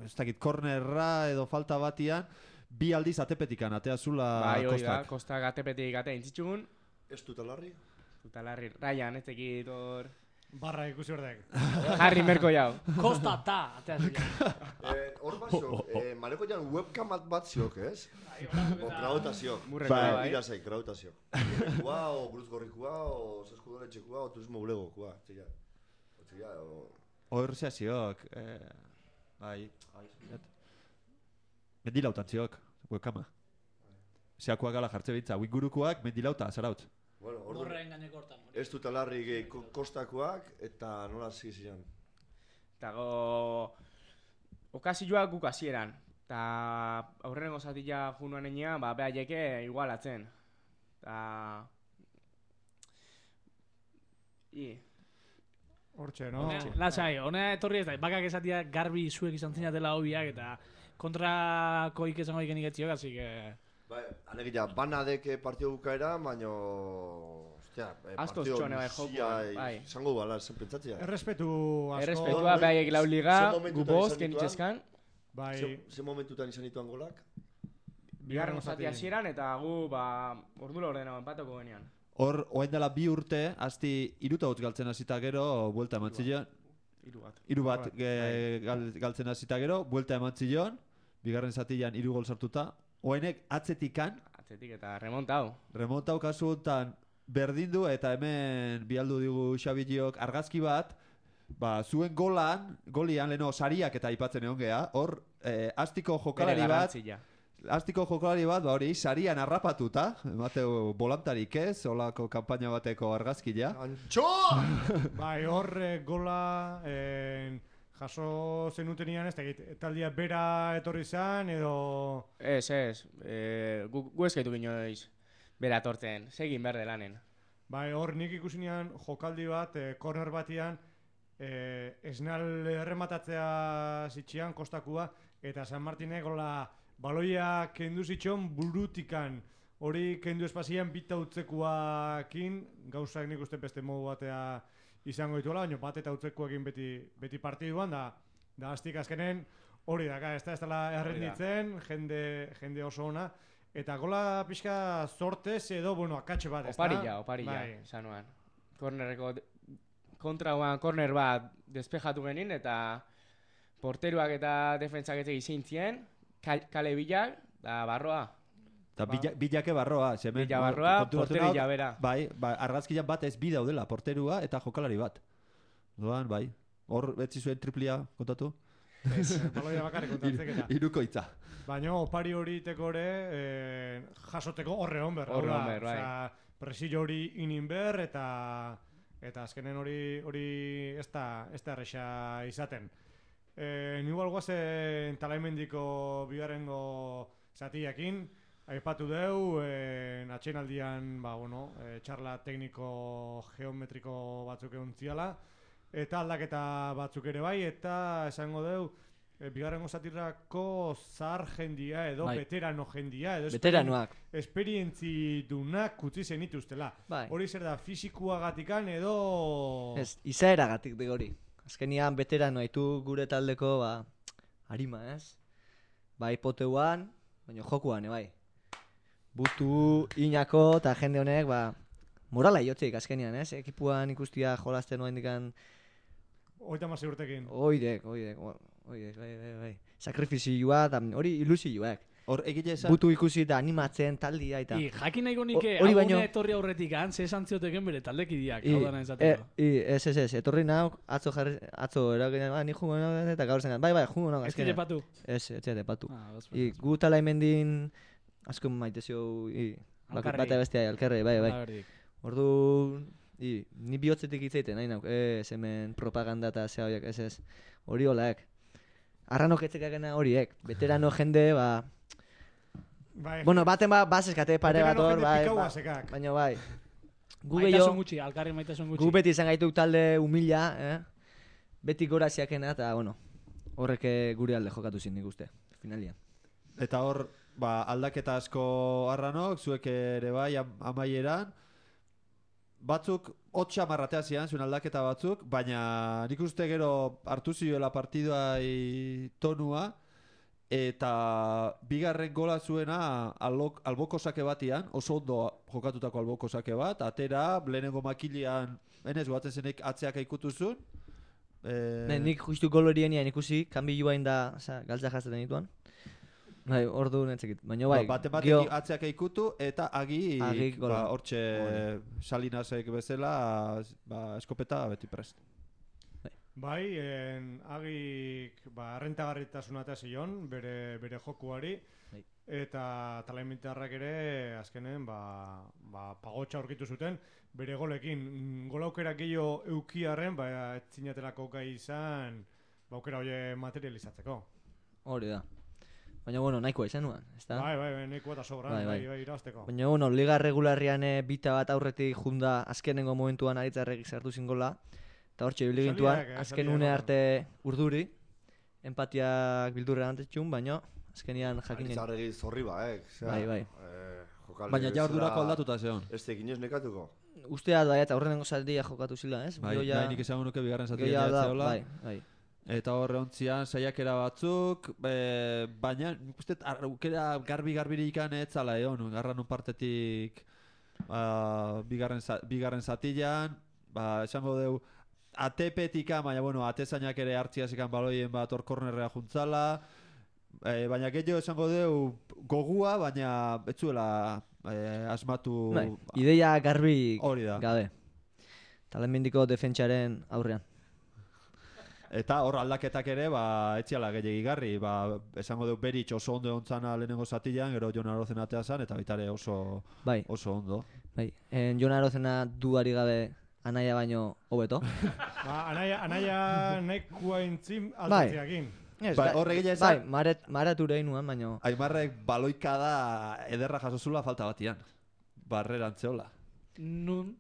ez dakit, kornerra edo falta batian, bi aldiz atepetikan, atea zula Bai, hori da, kostak. kostak atepetik atea intzitxugun. Ez dut alarri? Eta larri, Ryan, ez tekit hor... Barra ikusi hordek. Harry merko jau. Kosta ta, atea zila. Eh, Hor basio, eh, mareko jan webcam bat bat ziok, ez? O grautazio. Murreko Bai. bai. Ira zei, grautazio. Kua, o Cruz Gorrikua, o Zeskudoretxekua, o Turismo Bulegokua. Txilla. Txilla, o... Hor zehaziok, eh, bai, mendilautan ziok, webkama. Zeakoak gala jartze bitza, wingurukoak mendilauta, zaraut. Bueno, ordu, Horren gaineko hortan. ez dut alarri gehi ko- kostakoak, eta nola zizian. Eta go... Okazioak guk hasieran. eta aurrenengo zatila junuan enean, ba, behaieke igualatzen. Eta... I... Hortxe, no? Lasai, hona etorri ez da, bakak esatia garbi zuek izan zinatela hobiak, eta kontrakoik esango ikenik etziok, así que... Bai, alegia, banadeke partio bukaera, baino... Ostia, eh, Asko partio txone bai joko, luzia, bai. Izango bala, zen pentsatzea. Errespetu asko. Errespetua, behaiek lau liga, Ze momentutan gu bost, izan kenitxezkan. Bai, Ze, ze momentutan izan dituan golak? Bigarren zati hasieran eta gu, ba, ordu laurdena empatako genean. Hor, oain dela bi urte, hasti iruta hotz galtzen hasita gero, buelta eman zion. Hiru bat. Hiru bat ge- gal, galtzen hasita gero, buelta eman zion, bigarren zatian hiru gol sartuta. Oainek atzetikan, Atzetik eta remontau. remontau kasu honetan berdindu eta hemen bialdu digu Xabiok argazki bat, ba, zuen golan, golian leno sariak eta aipatzen egon gea, hor, eh, astiko jokalari Bere bat, garrantzia. Astiko jokalari bat, ba hori, sarian harrapatuta, emateu bolantarik ez, holako kanpaina bateko argazkia. Antxo! bai, hor eh, gola eh, jaso zenutenian, ez da egit, taldia bera etorri zan, edo... Ez, ez, e, gu, gu eskaitu ginoiz bera tortzen, segin berde lanen. Bai, hor nik ikusinean jokaldi bat, eh, corner batian, eh, esnal errematatzea zitxian, kostakua, eta San Martinek gola baloia kendu zitxon burutikan. Hori kendu espazian bita utzekuakin, gauzak nik uste beste modu batea izango dituela, baina bat eta utzekuakin beti, beti partiduan, da, da aztik azkenen hori daka, ez da ez dela errenditzen, jende, jende oso ona, eta gola pixka zortez edo, bueno, akatxe bat, ez da? Oparilla, oparilla, Bai. sanuan. Kornerreko, kontrauan korner bat despejatu genin, eta porteruak eta defentsak ez egin zien, kale bilak, da barroa. Eta bila, bilake barroa, zemen. Bila barroa, portero bila bera. Bai, ba, argazkian bat ez bi daudela, porterua eta jokalari bat. Doan, bai. Hor, betzi zuen triplia kontatu? Ez, baloia bakarrik kontatzek eta. Irukoitza. Baina opari hori tekore eh, jasoteko horre honber. Horre honber, bai. Presillo hori inin ber eta eta azkenen hori hori ez da, ez da erresa izaten. Eh, Igual guazen Talaimendiko bigarrengo zatiakin, aipatu deu, eh, atxenaldian ba, bueno, eh, txarla tekniko geometriko batzuk egon ziala, eta aldaketa batzuk ere bai, eta esango deu, e, bigarrengo zatirako zahar jendia edo Bai. veterano jendia edo Veteranoak. esperientzi dunak utzi zenituztela. Bai. Hori zer da, fisikuagatikan edo... Ez, izaeragatik de hori. Azkenian veterano haitu gure taldeko, ba, harima, ez? Bai poteuan, baina jokuan, bai. Butu, inako, eta jende honek, ba, morala iotzeik azkenian, ez? Ekipuan ikustia jolasten noen dikan... Oita masi urtekin. Oidek, oidek, oidek, bai, bai, bai. Sakrifizioa, eta hori ilusioak. Hor egile esan... Butu ikusi eta animatzen taldia eta... I, jakin nahiko nike, Hori hau baino- baino... etorri aurretik han, ze esan zioteken bere taldekideak, I, hau dana e, esateko. i, ez, ez, ez, etorri nauk, atzo jarri, atzo eragin, ba, ni jungo nauk, eta gaur zen, bai, bai, jungo nauk, Ez dira patu. Ez, ez dira patu. Ah, bas, I, bas, gu tala hemendin, asko maite zio, i, bak- Alkarri. bata bestea, alkarri, bai, bai. Ala berdik. Ordu, i, ni bihotzetik hitzaiten, nahi nauk, ez, hemen propaganda eta zea horiek, ez, ez, hori holaek. Arranok etzekakena horiek, veterano jende, ba, Bai, bueno, baten ba, baseskate pare bat veterano hor, jende bai, pikau ba, basekak. baina bai. Gu Maitasun gehiago, gutxi, alkarri maitasun gutxi. gu beti izan gaitu talde humila, eh? Beti gora ziakena, eta, bueno, horrek gure alde jokatu zin nik uste, finalian. Eta hor, ba, aldaketa asko arranok, zuek ere bai am, amaieran, batzuk hotxa marratea zian, zuen aldaketa batzuk, baina nik uste gero hartu zioela partidua tonua, eta bigarren gola zuena albok, alboko sake batian, oso ondo jokatutako alboko sake bat, atera, lehenengo makilean, enez goatzen zenek atzeak ikutuzun. E... Ne, nik justu gol horienian ikusi, kanbilua da, oza, galtza jazten dituan. Bai, ordu netzekit, baina bai, ba, bate batek gio- atzeak ikutu, eta agi, Agi gola. ba, hortxe Salinasek bezala, ba, eskopeta beti prest. Bai, en, agik ba, rentagarritasuna eta zion, bere, bere jokuari, Bai. eta talaimintarrak ere azkenen ba, ba, pagotxa aurkitu zuten, bere golekin. Mm, Gol aukera gehiago eukiarren, ba, ez zinatelako gai izan, ba, aukera hori materializatzeko. Hori da. Baina, bueno, nahikoa izan nuen, ezta? Bai, bai, bai, nahikoa eta sobran, Bai, bai, bai. bai, irabazteko. Baina, bueno, liga regularrian eh, bita bat aurretik junda azkenengo momentuan aritzarrek sartu zingola. Eta hortxe, ibili gintuan, Zaliak, eh, azken zaliak, une no? arte urduri, empatiak bildurren antetxun, baina azkenian jakinen. Aritzarregi zorri ba, eh? Bai, bai. Eh, jokaldi Baina ja ordurako bezala aldatuta zeon. Ez tekin ez nekatuko. Usteat bai, eta aurrenengo zatia jokatu zila, ez? Bai, Gero ja- bai, nik esango nuke bigarren gero zatia ja da- jatzeola. Bai, bai. Eta horre ontzian saiakera batzuk, e, baina nik uste aukera garbi-garbiri ikan etzala egon, garran un partetik ba, bigarren, za, bigarren zatilan, ba, esango deu A T P-tika, baina bueno, atezainak ere hartziaz ikan baloien bat hor kornerrea juntzala, e, baina gehiago esango deu gogua, baina etzuela e, asmatu Bai, ideia garbi hori da. gabe. Talenmendiko defentsaren aurrean. Eta hor aldaketak ere, ba, etziala gehiagigarri, ba, esango dut Beritx oso ondo ontzana lehenengo zatilan, gero Jon Arozen atea zan, eta baita ere oso, bai. oso ondo. Bai, en Jon Arozena duari gabe anaia baino hobeto. Ba, anaia, anaia nahikoa intzim Bai. altatzeakin. Ez, Bai, bai, horrek egia bai, esan- maret, marature inuan, baino. Aimarrek baloikada ederra jasozula falta batian. Barreran zeola. Nun,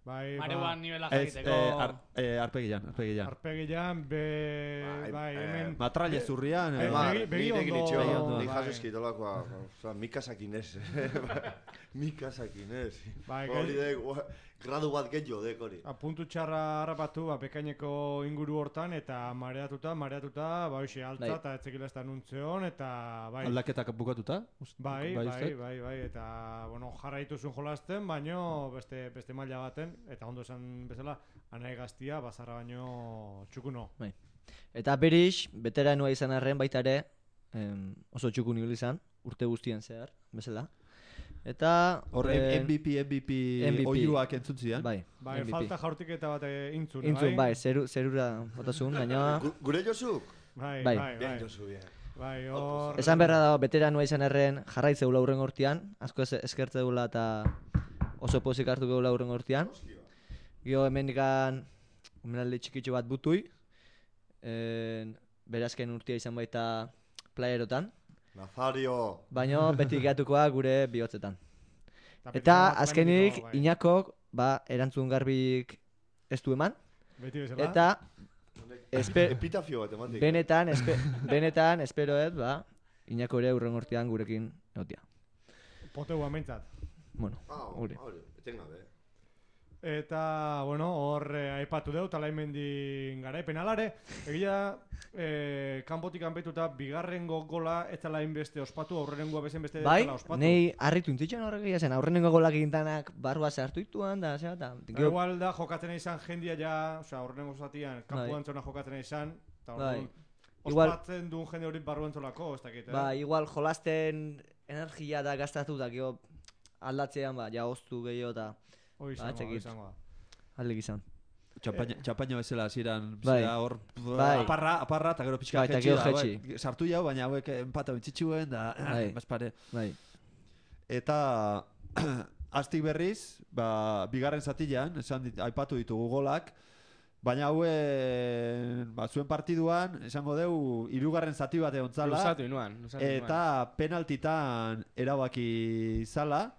Bai, mareuan nivela Ez, jakiteko. eh, ar, eh, arpegilan, arpegilan. Arpegilan, be... Bai, Bai, eh, hemen... Matraile zurrian. Bai, eh, bai. Begi, begi begi ondo- nitxo, begi ondo. nik bai. jasoski dolakoa, oza, mikasakin ez. Mikasakin ez. Bai, Hori gai- de, ua, gradu bat gehiago dek hori. A puntu txarra harrapatu, ba, bekaineko inguru hortan, eta mareatuta, mareatuta, ba, hoxe, altza, Bai. eta etzekila ez da nuntzeon, eta, bai, Aldaketak bukatuta? Ust- bai, bai, uste? bai, bai, eta, bueno, jarraitu zuen jolasten, baino, beste, beste maila baten, eta ondo esan bezala, anai gaztia, bazarra baino txukuno. Eta Berix, beteranua izan arren baita ere, em, oso txukun ibili izan, urte guztien zehar, bezala. Eta... Hor em, M V P, M V P M V P. oiuak entzutzian. Bai, Bai, M V P. falta jaurtiketa bat eh, intzun, Intzun, bai, zeru, zerura botazun, baina... Gu- Gure Josuk? Bai, Bai. bai, Bien bai, Josu, bien. bai, hor... Esan berra dago, beteranua izan arren jarraitzeula urren hortian, asko ez- eskertzeula eta oso pozik hartu geula urren hortian. Gio hemen ikan, omenaldi txikitxo bat butui, en, berazken urtia izan baita playerotan, Nazario. baina beti gehatukoa gure bihotzetan. beti Eta bat azkenik, hemendik, bai. Iñakok, ba, erantzun garbik ez du eman, Beti bezala. eta espe, Epitafio bat ematik. benetan, espe, benetan, esperoet, ba, Iñako ere urren hortian gurekin egotia. Poteu amentzat. Bueno, Ah, gure. hori, etengabe. Eta, bueno, hor eh, aipatu deu, talaimendi garaipen alare. Egia, eh, kanpotik kanpetuta bigarrengo gola ez zela inbeste ospatu, aurrenengoa bezen beste Bai, zela ospatu. nei harritu intzitzen horrek egia zen, aurrenengo golak egintanak barrua sartu ituan, da, zera, eta... Da, igual da jokatzen izan jendia ja, osea, aurrenengo zatian, kanpo Bai. antzona jokatzen izan, eta Bai. orduan, Igual- ospatzen duen jende hori barru antzolako, ez dakit, eh? Ba, igual jolasten energia da gastatu da, gero aldatzean, ba, ja oztu gehiago eta Hoi ba, izango, hoi txekit. izango. aldik izan. Txapaina, txapaina bezala hasieran, Bai. zera hor Bai. aparra, aparra, eta gero pixka Bai, eta jetxi gero da, jetxi. bai. Sartu jau, baina hauek empata bentzitxuen, da, Bai. bazpare. Bai. Eta aztik berriz, ba, bigarren zatilan, esan dit, aipatu ditugu golak, baina hauen, ba, zuen partiduan, esango deu, hirugarren zati bat egon zala, Luzatu inuan, luzatu inuan. eta penaltitan erabaki zala,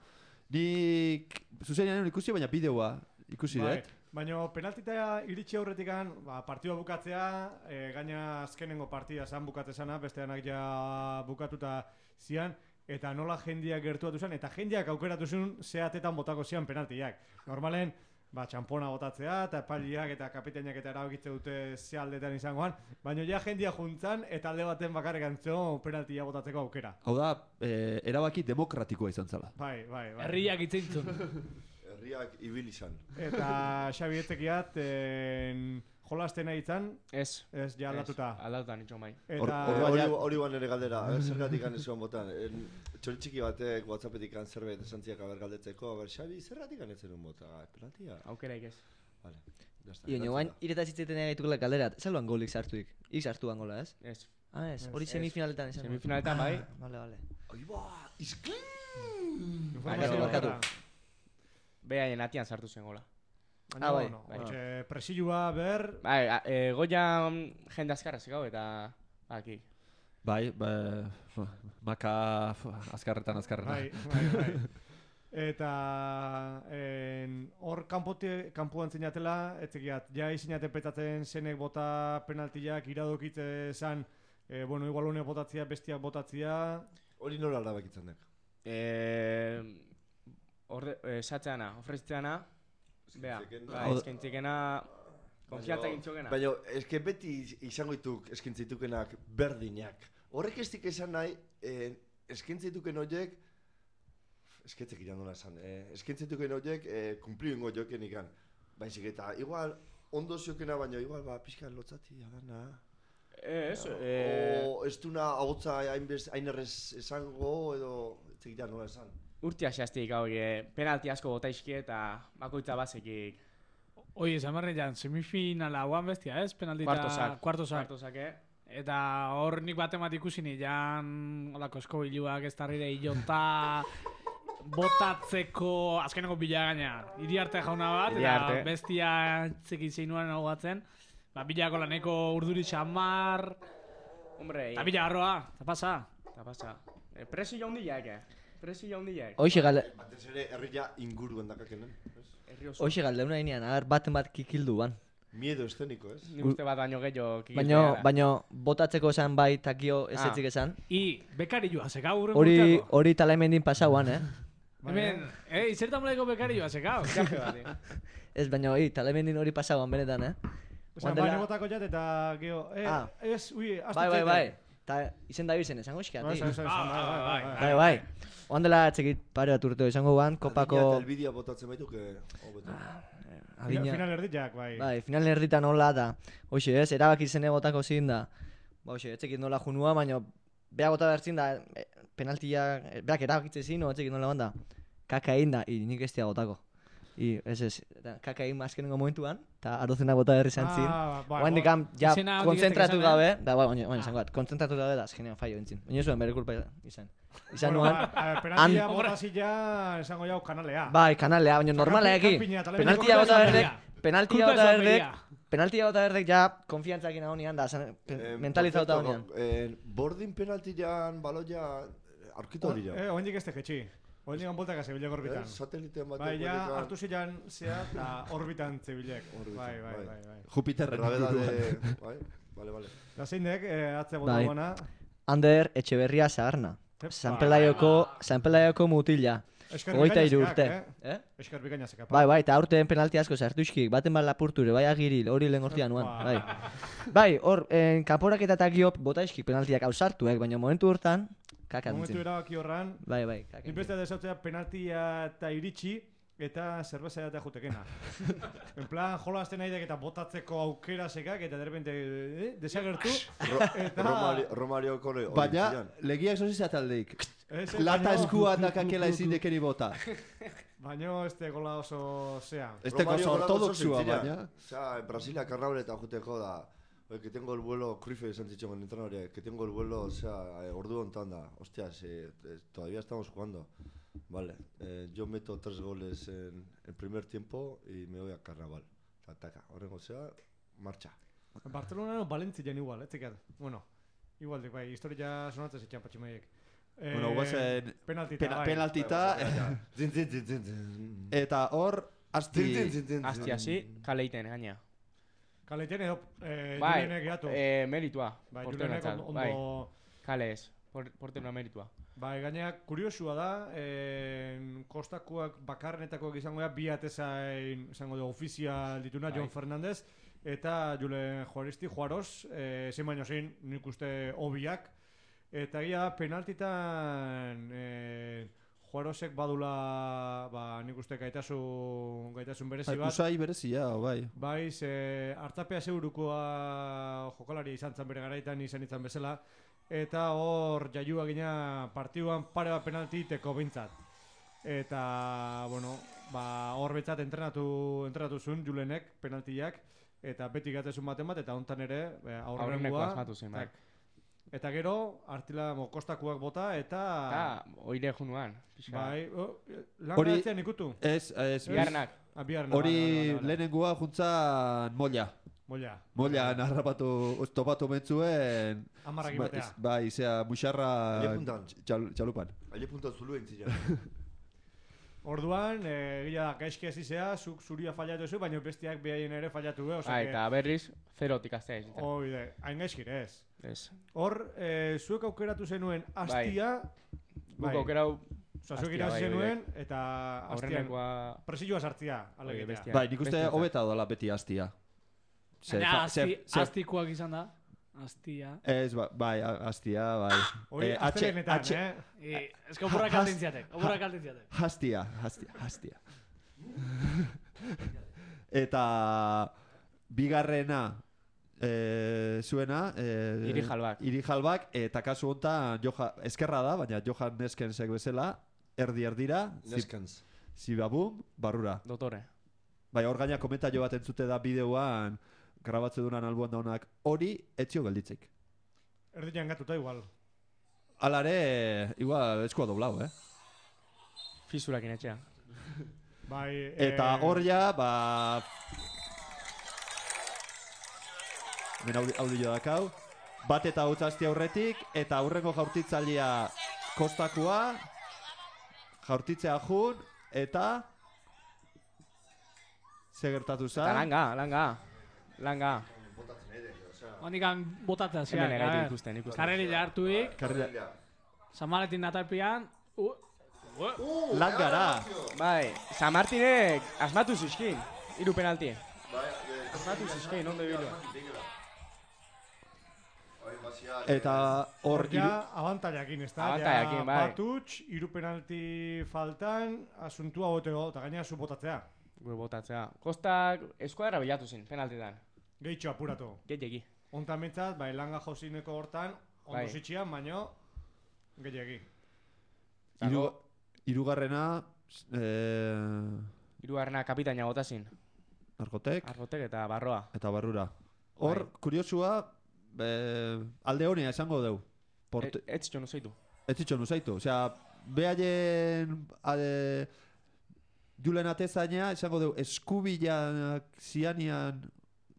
nik zuzenean ikusi, baina bideoa ikusi Bai, dut. baina penaltita iritsi aurretikan, ba, partidua bukatzea, e, gaina azkenengo partida zan bukatzezana, besteanak ja bukatuta zian, eta nola jendiak gertuatu zen, eta jendiak aukeratu zuen zeatetan botako zian penaltiak. Normalen, ba, txampona botatzea, eta epaliak eta kapitainak eta erabakitze dute ze aldetan izangoan, baina ja jendia juntzan, eta alde baten bakarrik antzeo penaltia botatzeko aukera. Hau da, e, erabaki demokratikoa izan zala. Bai, bai, bai. Herriak itzeintzun. Herriak ibil izan. Eta Xabi etzekiat, en, jolasten nahi izan, Ez. ez ja aldatuta. Ez, aldatuta nitxo mai. Eta... Hor- Hori baina- hori ban ere galdera, aber zergatik han ezuan botan. En, Txori txiki batek WhatsAppetik han zerbait esan ziak aber galdetzeko, aber Xabi zergatik han etzen un bota, penaltia. Aukeraik ez. Vale, ya está. Io, guain, ireta zitzeten egaitukela galderat, zeluan golik sartuik? Ik sartu gola, ez? Ez. Ah, ez, hori Ez. semifinaletan izan. Semifinaletan bai. Vale, vale. Aiba, izklin! Informazio Barkatu, barkatu. bakarra. Behaien atian sartu zen gola. Baina, Ah, bai. bueno, Bai. hortxe, presioa ber, Bai, a- e, goia mm, jende azkarra zikau eta... Aki. Bai, bai, maka azkarretan, azkarretan. Bai, bai, bai. Eta en, hor kanpote, kanpoan zinatela, etzekiat, ja izinate petatzen zenek bota penaltiak iradokitze zan, e, bueno, igual honek botatzia, bestiak botatzia. Hori nola erabakitzen dek? Eh, orde, eh, satzeana, ofrezitzeana, bea, bai, eskentzikena, konfiantza gintzokena. Baina, eske beti izango dituk eskintzitukenak berdinak. Horrek ez dik esan nahi, eh, eskintzituken horiek, esketzek iran dola esan, eh, eskintzituken horiek eh, kumplio ingo joken ikan. Baizik eta, igual, ondo ziokena, baina igual, ba, pixka lotzati, agana. Ez, eh... O, ez duna ahotza hain errez esango, edo, etzek iran nola esan. Urtia xastik hau, penalti asko botaizki eta bakoitza bazekik. Oie, esan barrean, semifinala hauan bestia, ez? Penaldita... Kuartosak. Kuartosak. Kuartosak, eh? Eta hor nik bat emat ikusin jan olako eskobiluak ez tarrire ilonta botatzeko azkeneko bila gaina. Iriarte jauna bat, Iriarte. eta bestia txekin zeinuan hau batzen. Ba, bilako laneko urduri xamar. Hombre, eta bila garroa, eta pasa. Eta pasa. E, presi jaundiak, eh? Presi jaundiak. Hoxe galde... Batez ere, herria inguruen dakakenen. Hoxe galdeuna inean, agar baten bat kikildu ban. Miedo eszeniko, ez? Nik uste bat baino gehiago kikildu Baino, gara. baino, botatzeko esan bai takio ez Ah. etzik esan. I, bekari joa, zeka urren Hori, urteako. hori talaimendin pasauan, eh? Hemen, ei, zertan molaiko bekari joa, zeka. Jaje bat, eh? Ez, baino, hi, talaimendin hori pasauan benetan, eh? Osa, baino botako jat eta geho, eh, Ah. ez, ui, astu Bai, bai, bai. Ta izen da izen, esango Bai, eskiati. bai, bai, bai, bai. Bai, bai. Oan dela txekit pare bat urteo izango guan, kopako... Adina eta elbidia botatzen baitu, que... Final, final erditxak, bai. Bai, final erditan nola da. Hoxe, ez, erabaki zene botako zin da. Ba, hoxe, etzekit nola junua, baina beha bota behar zin da, e, penaltia, e, beak erabakitze zin, no, etzekit nola banda. Kaka egin da, i, nik ez dia botako. I, ez ez, eta kaka egin azkenengo momentuan, eta arozena bota berri zantzin. Ah, bai, Oan bai. dikam, ja, Izena hau konzentratu diketek gabe, esan, da, bai, baina, baina, izango bat, konzentratu gabe da, azkenean fallo entzin. Baina zuen, bere kulpa izan. Izan Bueno, nuan, ba, a- penaltia han- botazia, esango jau kanalea. bai, kanalea, baina normalea eki. Kanpina, eta lehenengo Penaltia kulpa bota izan berdek, berea. penaltia Kulpa bota esan berdek, beria. penaltia bota berdek ja konfiantzakin agonian da, zan- pe- Eh, mentalizauta perfecto, agonian. eh, bordin penaltian baloia aurkitu dira. Eh, oendik ez tegetxi. Oendik anboltak azebilek orbitan. Eh, satelitean batek Bai, ja, bolikan- hartu zilan zea, eta orbitan zebilek. Orbitan, Bai, bai, bai. bai, bai. Jupiterren Grabedade, inguruan. bai, vale, vale. Da zein dek, eh, atze bota Bai. guana. Ander Etxeberria Zaharna. Epa. San Pelaioko, San Pelaioko mutila. Esker Hogeita hiru bikaina urte. zekak, Eh? Esker bikaina zekak. Bai, bai, eta aurten penalti asko sartu iskik, baten bat lapurture, bai agiril, hori lehen hortian nuan, Epa. bai. Bai, hor, en, kanporaketa eta giop bota iskik penaltiak hau sartuek, baina momentu hortan, kaka Momentu dintzen. erabaki horran, Bai, bai, kaka nik beste desautzea penaltia eta iritsi, eta zerbeza eta jutekena. En plan, jola azten nahi eta botatzeko aukera sekak, eta derrepente, eh, desagertu, Ro eta... Romario, Romario kore, Baina, legia esan zizataldeik. Ez, eh, Lata baino- eskuan dakakela ezin dekeri bota. Baino este gola oso zea. Ez teko Romario golako ortodoxua, oso zentzila. baina. Osea, en Brasilia karraure eta juteko da. Oye, que tengo el vuelo, Cruyff esan zitzon el entrenador, que tengo el vuelo, o sea, eh, ordu hontan da. Hostias, eh, eh, todavía estamos jugando. Vale, eh, yo meto tres goles en el primer tiempo y me voy a carnaval. Ataca, horrengo zea, marcha. Barcelona no Valentzian igual, ez zikat. Bueno, igual dik, bai, historia sonatzen zitxan patximaiek. Eh, Bueno, guazen penaltita, pena- bai. penaltita, Zin, zin, zin, zin, zin. eta hor, Zin, zin, asti... zin, zin, Asti hasi, kaleiten gaina. Kaleiten edo, eh, Bai, Julienek gehiatu. eh, meritua. Bai, porteroentzat, Julienek ondo... bai. ondo- Kale ez, por, portero meritua. Bai, gaina kuriosua da, eh, kostakoak bakarrenetakoak izango da, bi atezain, izango da, ofizial dituna, Bai. John Fernandez, eta Julen Juaristi, Juaros, eh, zein baino zein, nik uste hobiak, eta gira penaltitan, eh, Juarosek badula, ba, nik uste gaitasun, gaitasun berezi bat. Usai berezia, bai. Bai, ze hartzapea segurukoa jokalari izan zen bere garaitan izan izan bezala, eta hor jaiua gina partiduan pare bat penalti teko bintzat. Eta, bueno, ba, hor betzat entrenatu, entrenatu zuen Julenek penaltiak, eta beti gatezun baten bat, eta hontan ere, Aurreneko aurrengoa. asmatu zen, bai. Eta gero, artila mo, kostakuak bota, eta... Eta, oire junuan. pixka. Bai, oh, lan Hori- garatzean ikutu. Ez, ez, Biharnak. Ah, biharna, hori vale, vale, vale. lehenengua juntzan molla. Molla. Molla, narrapatu, topatu mentzuen... Amarrak imatea. Bai, zea, muxarra txal, txalupan. Aile puntan zuluen zila. Orduan, egia da, gaizki hasi zea, zuk zuria fallatu zu, baina bestiak behaien ere fallatu be, Ah, eta berriz, zerotik aztea ez. Oide, hain gaizkir ez. Ez. Hor, zuek aukeratu zenuen astia... Guk aukerau... Osa, zuek irazi zenuen, eta astian presioa sartzia, alegitea. Bai, nik uste hobeta dola beti astia. Astikoak izan da. Astia. Ez, bai, astia, bai. Hori, astelenetan, eh? Ez que oburrak altintziatek, oburrak altintziatek. Hastia, hastia, hastia. Eta bigarrena zuena... Irijalbak. Irijalbak, eta kasu honetan eskerra da, baina Johan Neskensek bezala, erdi erdira... Neskens. Zibabum, barrura. Dotore. Bai, hor gaina komentario bat entzute da bideoan, grabatze duran albuan daunak, hori etzio gelditzik. Erdian gatuta igual. Alare, igual, eskua doblau, eh? Fisurakin etxea. Bai, eta hor ja, ba... Ben audio dakau. Bat eta hau zazti aurretik, eta aurrengo jaurtitzailea kostakoa, jaurtitzea jun, eta... Ze gertatu za? Eta langa, langa. Langa. Honikan botatzea ziak. Hemen egaitu ikusten, ikusten. Karrerila hartuik. San Martin natalpian. Langara. Bai, San Martinek asmatu zizkin. Hiru penalti. Asmatu zizkin, ondo bilo. Eta hor... Ja, abantaiakin, ez da? Abantaiakin, bai. Batutx, hiru penalti faltan, asuntua boteo, eta gaina zu botatzea. Gure botatzea. Kostak eskuadra bilatu zin, penaltetan. Gehitxo apuratu. Gehiagi. Ontan mitzat, bai, langa josineko hortan, ondo bai. Zitxian, baino, gehiagi. Iru, irugarrena... Eh... Irugarrena kapitaina botazin. Argotek. Argotek eta barroa. Eta barrura. Hor, bai. Kuriosua, eh, alde honea esango deu. Porte... E, ez txonu zeitu. Ez txonu zeitu. Osea, behaien... Ade... Julen atezaina, esango dugu, eskubilak zianian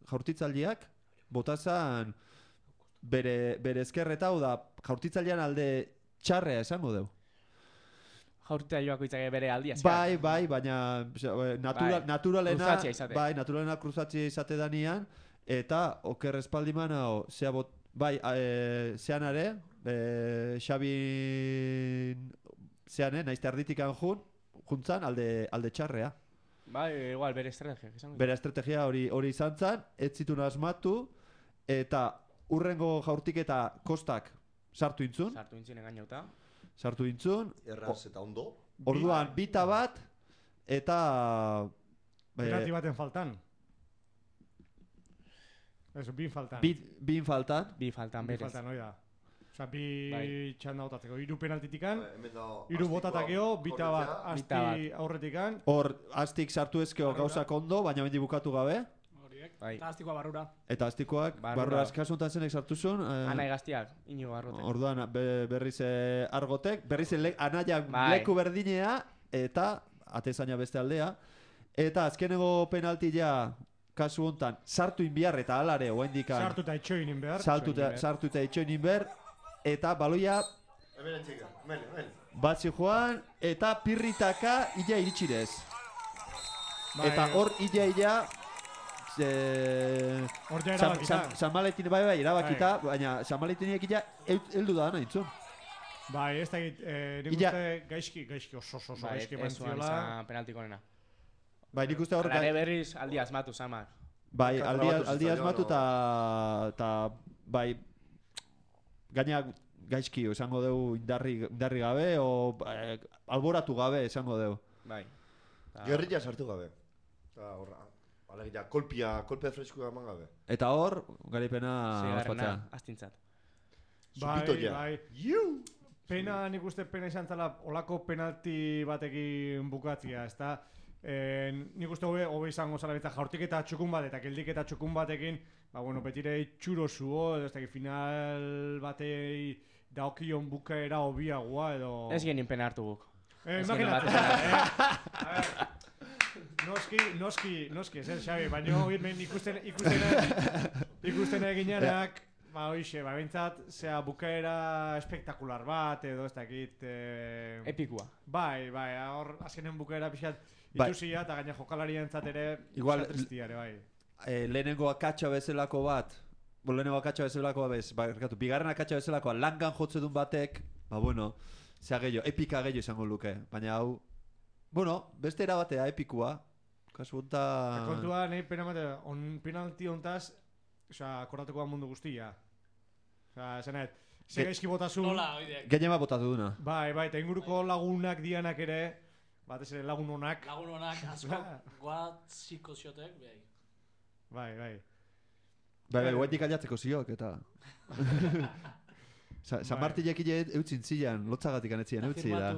jaurtitzaldiak, botazan bere, bere eskerreta, hau da, jaurtitzaldian alde txarrea esango dugu. Jaurtitzaileak itzake bere aldia. Bai, bai, baina natura, bai. naturalena, kruzatzia izate. Bai, naturalena kruzatzia izate danian, eta oker espaldiman, hau, zea bot, bai, e, zeanare, e, Xabin, zeane, naizte arditikan jun, juntzan alde, alde txarrea. Bai, igual, bere estrategia. Bere estrategia hori hori izan zan, ez zituen asmatu, eta urrengo jaurtiketa kostak sartu intzun. Sartu intzun engainauta. Sartu intzun. Erraz eta ondo. Orduan, bita bat, eta... Penalti baten faltan. Eso, bin faltan. Bi, bin faltan. Bi faltan, berez. Bin faltan, oida. Osa, bi bai. Txanda botatzeko, hiru penaltitikan, bai, hiru botatakeo, bita bat asti aurretikan. Hor, astik sartu ezkeo gauzak ondo, baina bendi bukatu gabe. Horiek, bai. Eta astikoa barrura. Eta astikoak, barrura askasuntan zenek sartu zuen. Eh, Anai gaztiak, inigo argotek. Orduan, be, berriz argotek, berriz le, anaiak bai. Leku berdinea, eta atezaina beste aldea. Eta azkenego penaltia, kasu hontan, sartu inbiar eta alare, oa indikan. Sartu eta itxoin inbiar. Sartu eta itxoin inbiar. Eta baloia batzi joan, eta pirritaka illa iritsirez. Bai, eta hor illa illa hor ja erabakita. San Valentin bai bai erabakita, baina San Valentiniek illa heldu da, nahi intzun. Bai, ez da git, nik uste gaizki, gaizki oso oso gaizki bantziola. Penaltiko nena. Bai, nik uste hor... Alare berriz aldi asmatu, Samak. Bai, aldi asmatu eta bai... Gaina gaizki, esango dugu indarri, indarri gabe, o eh, alboratu gabe, esango dugu. Bai. Gerrilla sartu gabe. Eta horra, alegia, kolpia, kolpia freskua eman gabe. Eta hor, garipena ospatzea. Astintzat. Bai, bai. Pena, nik uste pena izan zala, olako penalti batekin bukatzia, ez da? Eh, nik uste hobe, hobe izango zala betza jaurtik eta txukun bat, eta keldik eta txukun batekin, ba, bueno, betire txuro zuo, edo ez da, final batei daokion bukaera hobiagoa, edo... Ez genin pena hartu guk. Eh, imaginatzen, eh? A ver, noski, noski, noski, zer, Xabi, baina hemen ikusten, ikusten, ikusten eginenak, ba, hoxe, ba, bintzat, zera, bukaera espektakular bat, edo ez dakit... Eh, Epikua. Bai, bai, hor, azkenen bukaera pixat, Bai. itusia, eta gaina jokalarien ere, Igual, pixat tristiare, bai. eh, lehenengo akatsa bezalako bat, bo, lehenengo akatsa bezalako bez, ba, erkatu, bigarren akatsa bezalakoa langan jotze duen batek, ba, bueno, zea gehiago, epika gehiago izango luke, baina hau, bueno, beste erabatea epikua, kasu honta... Eta kontua, nahi pena mate, on penalti hontaz, osea, akordatuko da mundu guztia. Osea, zenet, ze gaizki botazun... Nola, oidek. Gehiema botatu duna. Bai, bai, eta inguruko lagunak dianak ere, batez ere lagun honak. Lagun honak asko guatziko ziotek, behai. Bai, bai. Bai, bai, guaitik aliatzeko ziok, eta... Sa, San Bai. Martinek ide eutzin zian, lotzagatik anetzien eutzi da.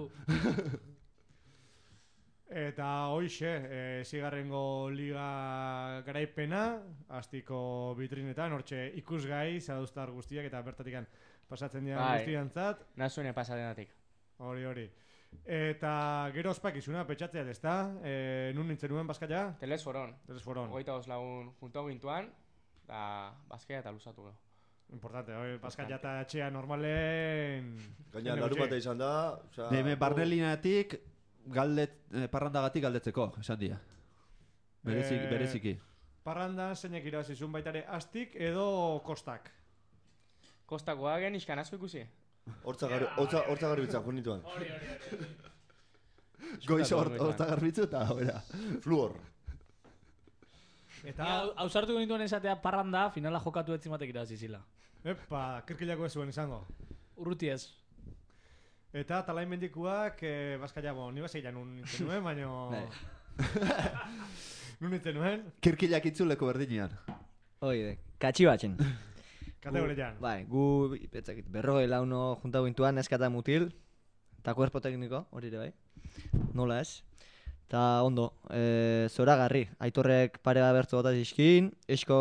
Eta hoixe, e, zigarrengo liga garaipena, astiko bitrinetan, hortxe ikusgai, zaduztar guztiak, eta bertatikan pasatzen dira Bai. guztiantzat. Nazune pasadenatik. Hori, hori. Eta gero ospakizuna, petxatzea ezta? E, nun nintzen nuen bazkaia? Telesforon. Telesforon. Hogeita os lagun junto gintuan, da bazkaia eta luzatu gero. Importante, hori, bazkaia eta etxea normalen... Gaina, larun bata izan da... Osea, Hemen barnelinatik, galdet, eh, parrandagatik galdetzeko, esan dia. Berezik, Eh, bereziki. Parrandan zeinek irabazizun baitare astik edo kostak. Kostakoa gen iskan asko ikusi. Hortza gar- hortza- hortza garbitzak, junituan. Hori, hori, hori. Goiz hortza garbitzu eta, bera. Fluor. Eta... Ni hausartu gintuen esatea parranda, finala jokatu etzimatek irabazizila. Epa, kirkilako ez zuen izango. Urruti ez. Eta talain mendikuak, eh, bazkaia, bo, ni bazeilan nun nintzen nuen, baino... nun nintzen nuen, Kirkilak itzuleko berdinean. Oide, katxi batzen. kategorian. Bai, gu, betzakit, berrogei launo junta gintuan, eskata mutil, eta kuerpo tekniko, hori ere bai. Nola ez? Ta ondo, e, zoragarri, Aitorrek pare bat bertzu bota zizkin, esko,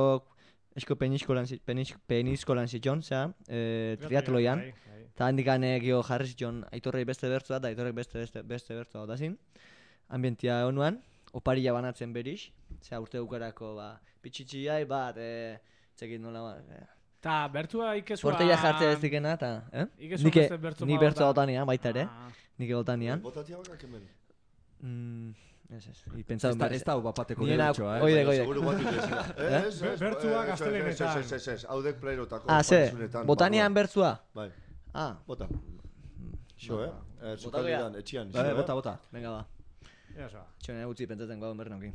esko peniskolan, zi- penis, peniskolan zitxon, zera, e, triatloian. Bai, bai. Eta handikan egio jarri zitxon Aitorrei beste bertzua eta Aitorrek beste beste, beste bertzua bota zin. Ambientia honuan, oparilla banatzen beriz, zera urte ukarako, ba, pitxitxiai bat, e, txekit nola bat, e, Ta, bertua ikezua... porteia jartzea ez dikena, eta, eh? Ikezua Nike- beste bertzu Ni bat bertzua bota. otanian, baita ere, Ah. nik otanian. Botatia bakak hemen. Mm, ez ez, Ez pentsatu da, ez da hau bapateko Niena- derechoa, eh? oide, Baina oide. seguru bat itezila. Eh? Ez, ez, Bertsuak ez, gaztelenetan. Ez, ez, ez, ez, haudek playrotako. Ah, ze, partizunetan, botanian barruan. bertzua? Bai, Ah, bota. Xo, eh? Eh, Bota Zukaldidan, etxian. Bai, xo, eh? bota, bota. venga ba. Ea zoa. Txone utzi pentsatzen gauden berri naukin.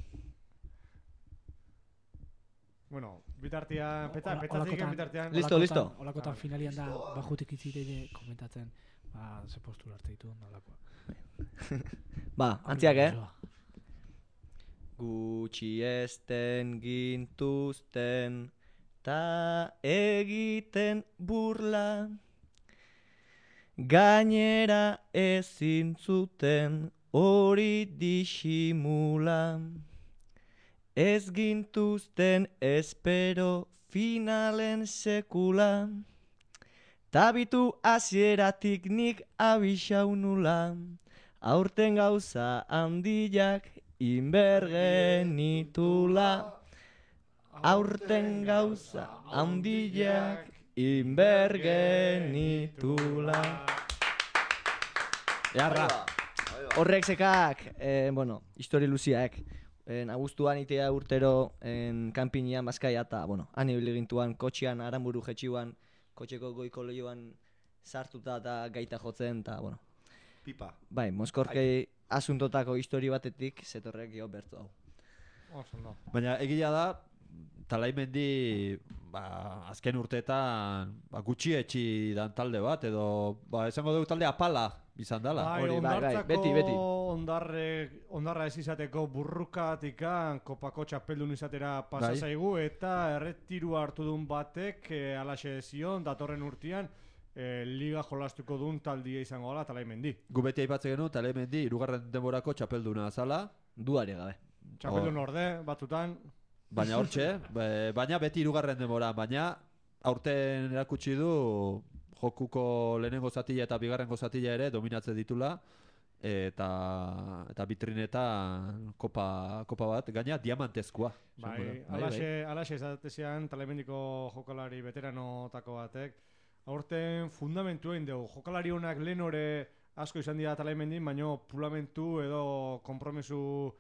Bueno, bitartean, peta, Hola- petatik holakotan- bitartean... Listo, listo. Olakotan finalian da, bajutik itziteide komentatzen, ba, ze postura arte ditu nolakoa. Ba, antziak, eh? Gutxi esten gintuzten ta egiten burla gainera ezin zuten hori disimula ez gintuzten espero finalen sekula tabitu hasieratik nik abixau nula aurten gauza handiak inbergenitula aurten gauza handiak inbergenitula. Jarra. Horrek sekak, eh, bueno, histori luziak. En abuztuan itea urtero en kanpinean Bazkaia eta, bueno, han ibili gintuan kotxean Aranburu jetxiuan, kotxeko goiko lehioan sartuta eta gaita jotzen, eta, bueno, Pipa. bai, Moskorkei asuntotako histori batetik zetorrek jo bertu hau. Oso, no. Baina egia da, Talaimendi ba, azken urteetan ba, gutxi etxi dan talde bat, edo ba, esango dugu talde apala izan dela. Bai, hori, bai, bai, ondartzako beti, beti. ondarre, ondarra ez izateko burrukatikan kopako txapeldun izatera pasa Bai. zaigu eta erretiru hartu duen batek e, alaxe zion datorren urtean e, liga jolastuko duen taldia izango gala Talaimendi. Gu beti aipatzen genuen, Talaimendi hirugarren denborako txapelduna zala, Duari gabe. Txapeldun orde, batzutan, baina hortxe, be- baina beti hirugarren denbora, baina aurten erakutsi du jokuko lehenengo zatila eta bigarrengo zatila ere dominatzen ditula, eta eta vitrinetan kopa kopa bat gaina diamantezkoa. Bai, alaxe alaxe esatezean Talemendiko jokalari veteranotako batek aurten fundamentua egin dugu. Jokalari honak lehen ore asko izan dira Talemendin, baino pulamentu edo konpromesu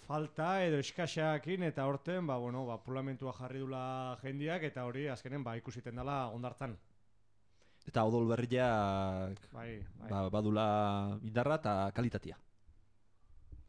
falta edo eskaxakin eta aurten ba bueno, ba pulamentua jarri dula jendiak eta hori azkenen ba ikusiten dela Hondartzan. Eta odol berriak bai, bai. Ba, badula indarra eta kalitatea.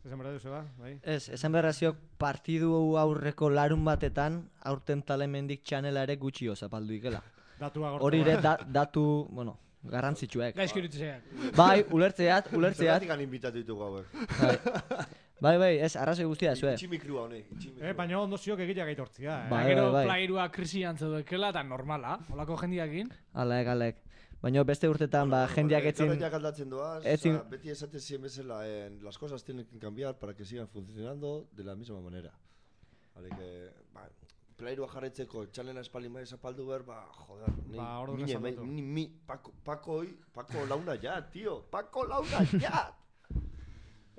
Esan berra duzu ba, bai? Ez, esan berraziok partidu aurreko larun batetan aurten Talemendik txanela ere gutxio zapaldu ikela. Datua gortu. Hori ere da, datu, bueno, garrantzitsuek. Gaizki iritzeak. Bai, ulertzeat, ulertzeat. Zergatik han inbitatu ditugu hauek. Bai. Bai, bai, ez, arrazoi guztia, zue. Itximikrua honek, itximikrua. Eh, baina ondo ziok egitea gaitortzia, eh? Bai, Gero bai, bai. plairua krisian zeudekela eta normala, holako jendiakin. Alek, alek. Baina beste urtetan, ba, jendeak etzin... Txarretak aldatzen doaz, etzin... o sea, beti esaten ziren bezala, eh, las cosas tienen que cambiar para que sigan funcionando de la misma manera. Vale, que, ba, plairua jarretzeko txalena espalin bai zapaldu behar, ba, joder, ni, Ba, ordu mine, nezaldatu. ni, mi, Paco, Paco, hoy, Paco launa ya, tío, Paco launa ya!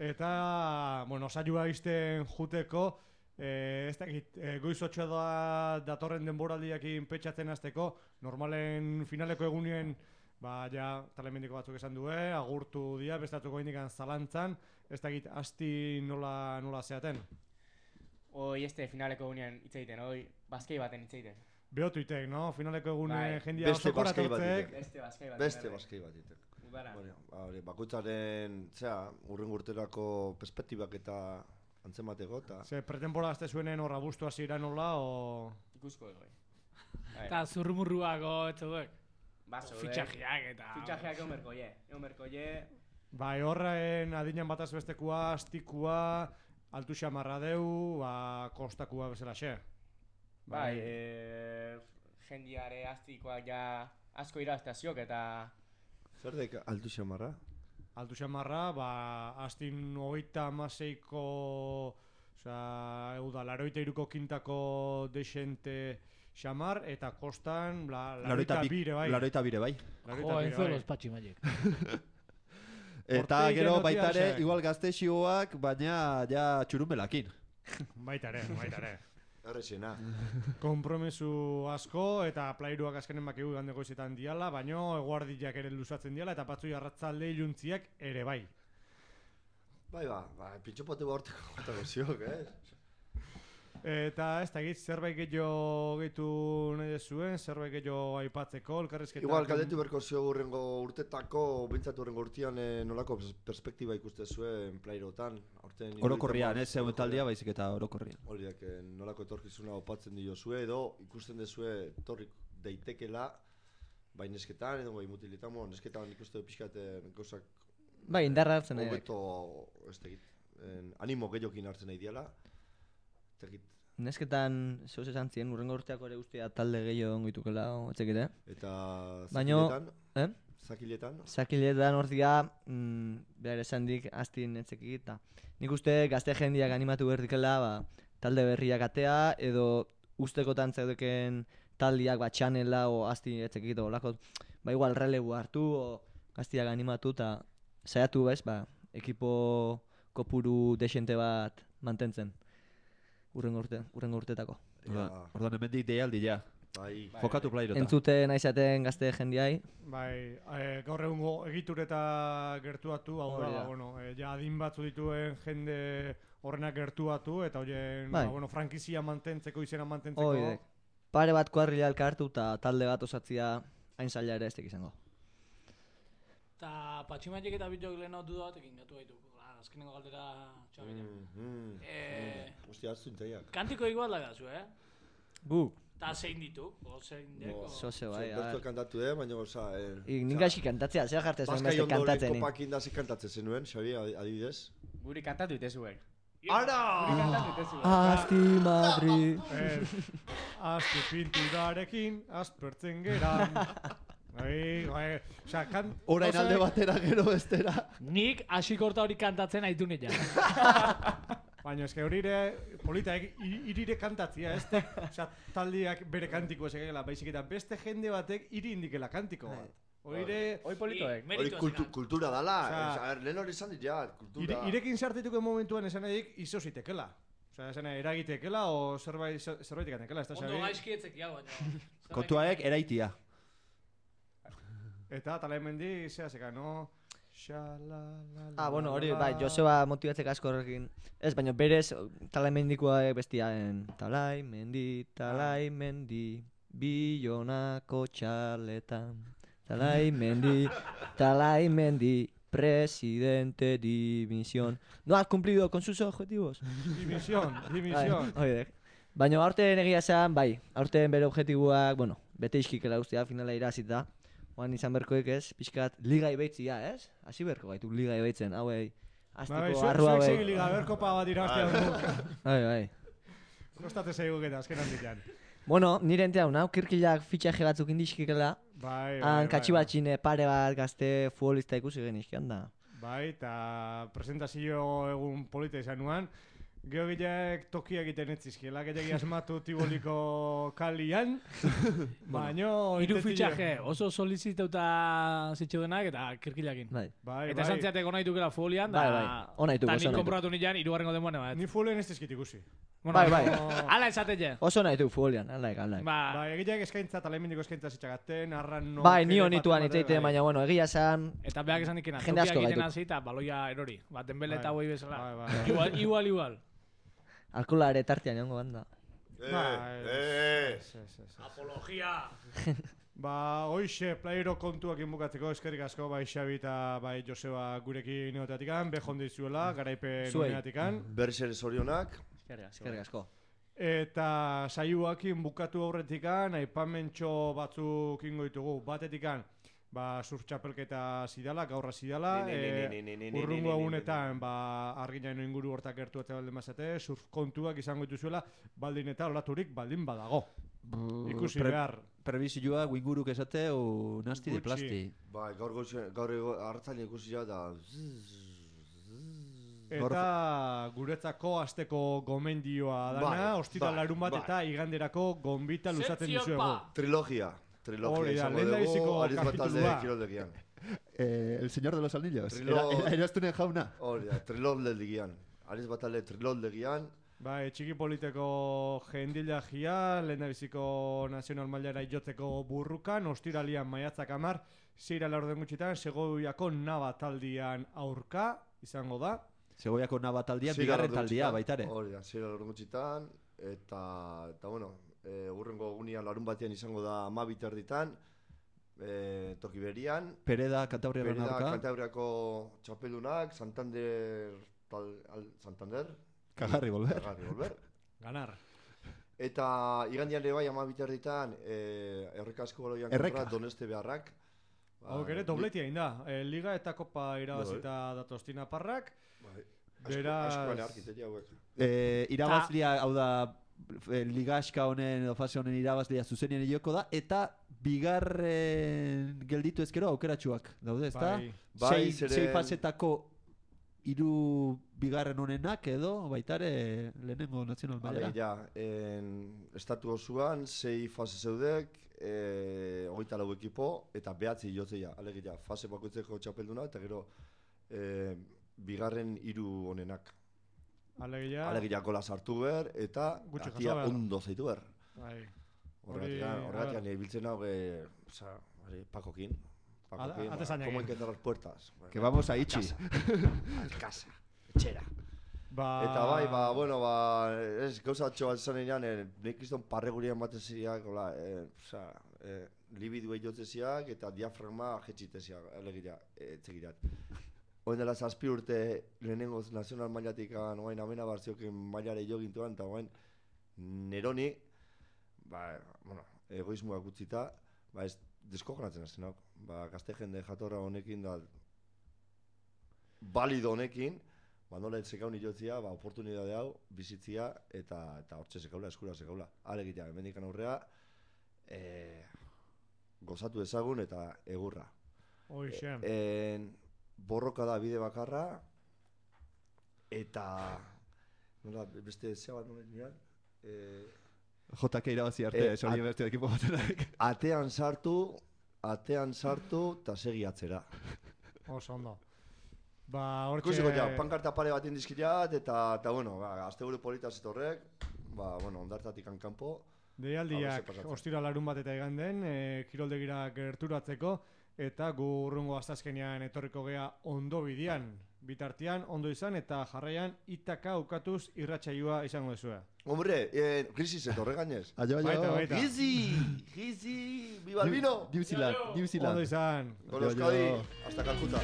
Eta, bueno, saioa izten juteko, eh, ez dakit, eh, goizotxoa da datorren denboraldiakin petxatzen hasteko, normalen finaleko egunien, ba, ja, Talemendiko batzuk esan due, agurtu dia, bestatzuko indikan zalantzan, ez dakit, asti nola, nola zeaten. Hoi este finaleko egunean hitz egiten, hoi baskei baten hitz egiten. Behotu itek, no? Finaleko egunen Bai. jendia Beste osokora baskei bat tortzek. itek. Beste baskei baten. Beste bai. baskei bat itek. Udara. Hori, hori, bakoitzaren, zera, urren urterako perspektibak eta antzemateko, eta... Ze, pretemporada azte zuenen horra bustu hasi nola, o... Ikusko egoi. Eta zurrumurruako, etzuek. Baso, Fitxajeak eta... Fitxajeak egon berko je. Egon berko je. Bai, horren adinan bataz bestekua, astikua, altu xamarra deu, ba, kostakua bezala xe. Bai, e, jendiare astikoak ja asko iraztaziok eta... Zer daik altu xamarra? Altu xamarra, ba, astin hogeita amaseiko, oza, euda, laroita iruko kintako desente xamar, eta kostan, la, laroita bire, bai. Laroita bire, bai. Laroita Jo, bire, enzo bai. los patximaiek. Eta Ortegi gero notia baita ere, xe. igual gaztexioak, baina ja txurumelakin. Baita ere, baita ere. Errexena. Kompromesu asko eta plairuak azkenen bakigu gande goizetan diala, baino eguardiak ere luzatzen diala eta batzui arratzalde iluntziak ere bai. Bai, ba, ba, pintxopote borteko gotako ziok, eh? Eta ez da egit, zerbait gehiago gehitu nahi dezuen, zerbait gehiago aipatzeko, elkarrizketak... Igual, galdetu berko zio urrengo urtetako, bintzat urrengo urtean eh, nolako pers- perspektiba ikuste zuen plairotan. Aurten Orokorrian, ez zeuen taldia baizik eta orokorrian. Horiak, eh, nolako etorkizuna opatzen dio zue, edo ikusten dezue etorrik daitekela, bai nesketan, edo bai mutiletan, mo, nesketan ikuste pixkaten gauzak... Bai, indarra hartzen nahi. Hobeto, ez tegit, animo gehiokin hartzen nahi diala. Tegit. Nesketan, zeus esan zien, urrengo urteako ere guztia talde gehiago ongoitukela, etzekite. Eta Baino, zakiletan, eh? zakiletan, Zakiletan ordia, mm, behar esan dik, astin etzekit, eta nik uste gazte jendiak animatu berdikela, ba, talde berriak atea, edo ustekotan zeudeken taldiak, ba, txanela, o asti etzekit, o lako, ba, igual relebu hartu, o gaztiak animatu, eta saiatu bez, ba, ekipo kopuru desente bat mantentzen. Urrengo urte, urrengo urtetako. Orda- Ordan hemendik deialdi ja. bai, Jokatu plairota. Entzute nahi zaten gazte jendiai, Bai, e, gaur egungo egitureta gertuatu, hau da, Hori da. ba, bueno, e, ja adin batzu dituen jende horrenak gertuatu, eta horien, Bai. ba, bueno, frankizia mantentzeko, izena mantentzeko... Oidek. Pare bat kuadrilla elkartu eta talde bat osatzia hain zaila ere ez tek izango. Eta patximaiek eta bitok leheno dudatekin gatu gaitu. Azkenengo galdera txabenean. Mm, mm, Eh, mm. Ostia, hartu intaiak. Kantiko igual da zu, eh? Gu, Ta zein ditu, o zein deko. zoze bai, Bertu bai. kantatu, eh, baina, oza... Eh, Ik nik gaixi kantatzea, zer jartzen zuen Baskai beste ondoren kantatzen. kopakin da ze kantatzen zenuen, Xabi, adi- adibidez. Guri kantatu itezuek. Ara! Guri kantatu itezuek. Asti Madri. Ez, azte pinturarekin, aspertzen geran. Bai, bai, osea, kan... Orain gauza- alde batera gero bestera. Nik hasikorta hori kantatzen aitu nila. Baina eske hori ere, polita, eg- i- irire kantatzia, ez da, osea, taldiak bere kantiko ez egela, baizik eta beste jende batek iri indikela kantiko bat. Oire... Hoi politoek. Hori kultu, kultura dala, Osea, Osea, lehen hori izan dit, ja, kultura. Ire, irekin sartituko momentuan esan edik izo zitekela. Osea, esan edik eragitekela o zerbait, zerbait ikatekela, ez da, Ondo gaizki etzeki hau, baina. Kontuaek eraitia. Eta talaimendi, zea zeka, no? Xalalala... Ah, bueno, hori, bai, Joseba motibatzek asko horrekin. Ez, baina berez, talaimendikoa bestiaen. Talaimendi, talaimendi, Bilonako txaletan. Talaimendi, talaimendi, presidente dimisión. ¿No has cumplido con sus objetivos? Dimisión, dimisión. Bai, baina aurten egia esan, bai, aurten bere objektiboak, bueno, bete iskikela ustea, finala irazita. Oan izan berkoek ez, pixkat liga ibeitzia, ez? Hasi berko gaitu liga ibeitzen, hauei, aztiko arru hauei. Zuek segi liga berkopa bat iraztea dut. Bai, bai. Kostate zeigu eta azken handitan. Bueno, nire entea hau, kirkilak fitxaje batzuk indizkikela. Bai, bai, Han bai, katxibatxine pare bat gazte futbolista ikusi genizkian da. Bai, eta presentazio egun polita izan nuan. Geogileak tokia egiten etzizkiela, gehiagi asmatu Tiboliko kalian. Baino... Hiru fitxaje, oso solicitauta zitxeudenak eta kirkilakin. Bai. Bai, Eta esan ziatek onaitukela futbolian, Bai, da... bai. Onaituk, Ta oso nik onaituk. konprobatu nian, irugarrengo demoan bat. Ni futbolen ez dizkit ikusi. Bai, bai. Ala esatete. Oso nahi du futbolian, alaik, alaik. Ba, Bai, egileak eskaintza, talemendiko eskaintza zitxagaten, arran no... Bai, ni honituan itzeite, baina, bueno, egia esan... eta beak esan dikena, Jende asko tokiak egiten gaituk. hasi eta baloia erori. Ba, Dembele eta Bai. hoi bezala. Bai, bai. Igual, igual, igual. Alkola ere tartian jongo banda. Eh, Bai, eh, ez, ez, ez, ez. Apologia! Ba, hoixe, playero kontuak inbukatzeko eskerrik asko, bai Xabi eta bai Joseba gurekin neotatikan, bejon dizuela, garaipen Zuei. honeatikan. Berriz ere zorionak. Eskerrik asko. Eta saioakin bukatu aurretikan, aipamentxo batzuk ingo ditugu. Batetikan, ba, surf txapelketa zidala, gaurra zidala, Ni, ni, ni, ni, ni, ni, ni, urrungo ni, ni, egunetan, ba, arginaino inguru hortak gertu eta baldin bazate, surf kontuak izango dituzuela, baldin eta olaturik baldin badago. Ikusi Pre- behar. Prebisioa guinguruk esateu nasti de Gutxi. plasti. Bai, Bai, gaur goizen, gaur ego, hartzale ikusi ja da... Eta guretzako asteko gomendioa dana, Bai, ostiral bai, larun bat bai. eta iganderako gonbita luzaten Sekzio dizuegu. pa! Trilogia. Trilogia Hori da, izango lehendabiziko dugu, Ariz Batalde kapitulua. kiroldegian. Eh, el señor de los anillos. Trilo- Era, era eraztunen jauna. Hori da, triloldegian. Ariz Batalde triloldegian. Bai, txiki politeko jendilagia, lehendabiziko nazional mailara jotzeko burrukan, ostiralian maiatzak amar, zeira laurden gutxitan, Segoviako naba taldian aurka, izango da. Segoiako nabataldian, Zira bigarren laurden taldia gutxitan, baitare. Hori da, zira laurden gutxitan. Eta, eta bueno, e, urrengo egunean larun batean izango da amabit erditan, e, toki berian. Pereda, Kantabriaren Berida, aurka. Kantabriako txapeldunak, Santander, tal, al, Santander, Kagarri volver. Kagarri volver. Ganar. Eta igandian ere bai amabit erditan, e, errekasko baloian Erreka. kontra Doneste beharrak. Ba, Hau ere, dobletia inda. E, Liga eta Kopa irabazita datostina parrak. Bai. Beraz- Asko bane arkitetia hauek. Eh, irabazlia, hau da, eh, ligaxka honen, edo fase honen irabazlia zuzenien joko da, eta bigarren gelditu ezkero aukeratsuak daude, ezta? Bai. Bai, sei, zeren- sei fasetako hiru bigarren honenak edo baitare lehenengo nazional mailara. Alegia, en, estatu osoan, sei fase zeudek, e, hogeita lau ekipo, eta behatzi jotzea. Alegia, fase bakoitzeko txapelduna, eta gero e, bigarren hiru honenak. Alegia, Alegia gola sartu ber, eta Gutxi jaso atia behar. ondo zaitu ber. bai. Horregatik, Hori, horregatik, a nire biltzen hau, e, oza, hori, Pakokin. Pakokin, Ate ba, zainak, como eh. hay que cerrar puertas. Que vamos a itxi. A casa, etxera. Ba... Eta bai, ba, bueno, ba, ez, gauza atxo bat esan enean, eh, nik kriston parregurian bateziak, hola, eh, oza, eh, libiduei jotzeziak eta diafragma jetxiteziak, alegira, eh, etzegirat. Oen dela zazpi urte lehenengo nazional mailatik oain amena barziokin mailare jo gintuan, eta oain neroni, ba, bueno, egoismoak utzita, ba, ez deskojonatzen hasten hau. Ba, gazte jende jatorra honekin da, balido honekin, ba, nola etzekaun ilotzia, ba, oportunidade hau, bizitzia, eta eta hortxe sekaula, eskura sekaula. Alegitea, hemendikan aurrea, e, gozatu ezagun eta egurra. Hoxe. En, borroka da bide bakarra, eta, nola, beste zea bat nola nian, e, J K irabazi arte, Eh, hori at- beste ekipo batenak. atean sartu, atean sartu eta segi atzera. Oso ondo. Ba, hortxe... Ikusiko ja, pankarta pare bat indizkirat, eta, eta bueno, ba, azte buru politaz etorrek, ba, bueno, ondartatik kanpo. Deialdiak ostira larun bat eta iganden, e, kiroldegira gerturatzeko, eta gu urrungo astazkenean etorriko gea ondo bidian. Bitartean, ondo izan, eta jarraian itaka ukatuz irratsaioa izango dezue. Hombre, eh, krisis etorre gainez. Aio, aio. Baita, baita. Gizi, gizi, viva el vino. New Zealand, New Zealand. Ondo izan. Con Euskadi, hasta Calcuta.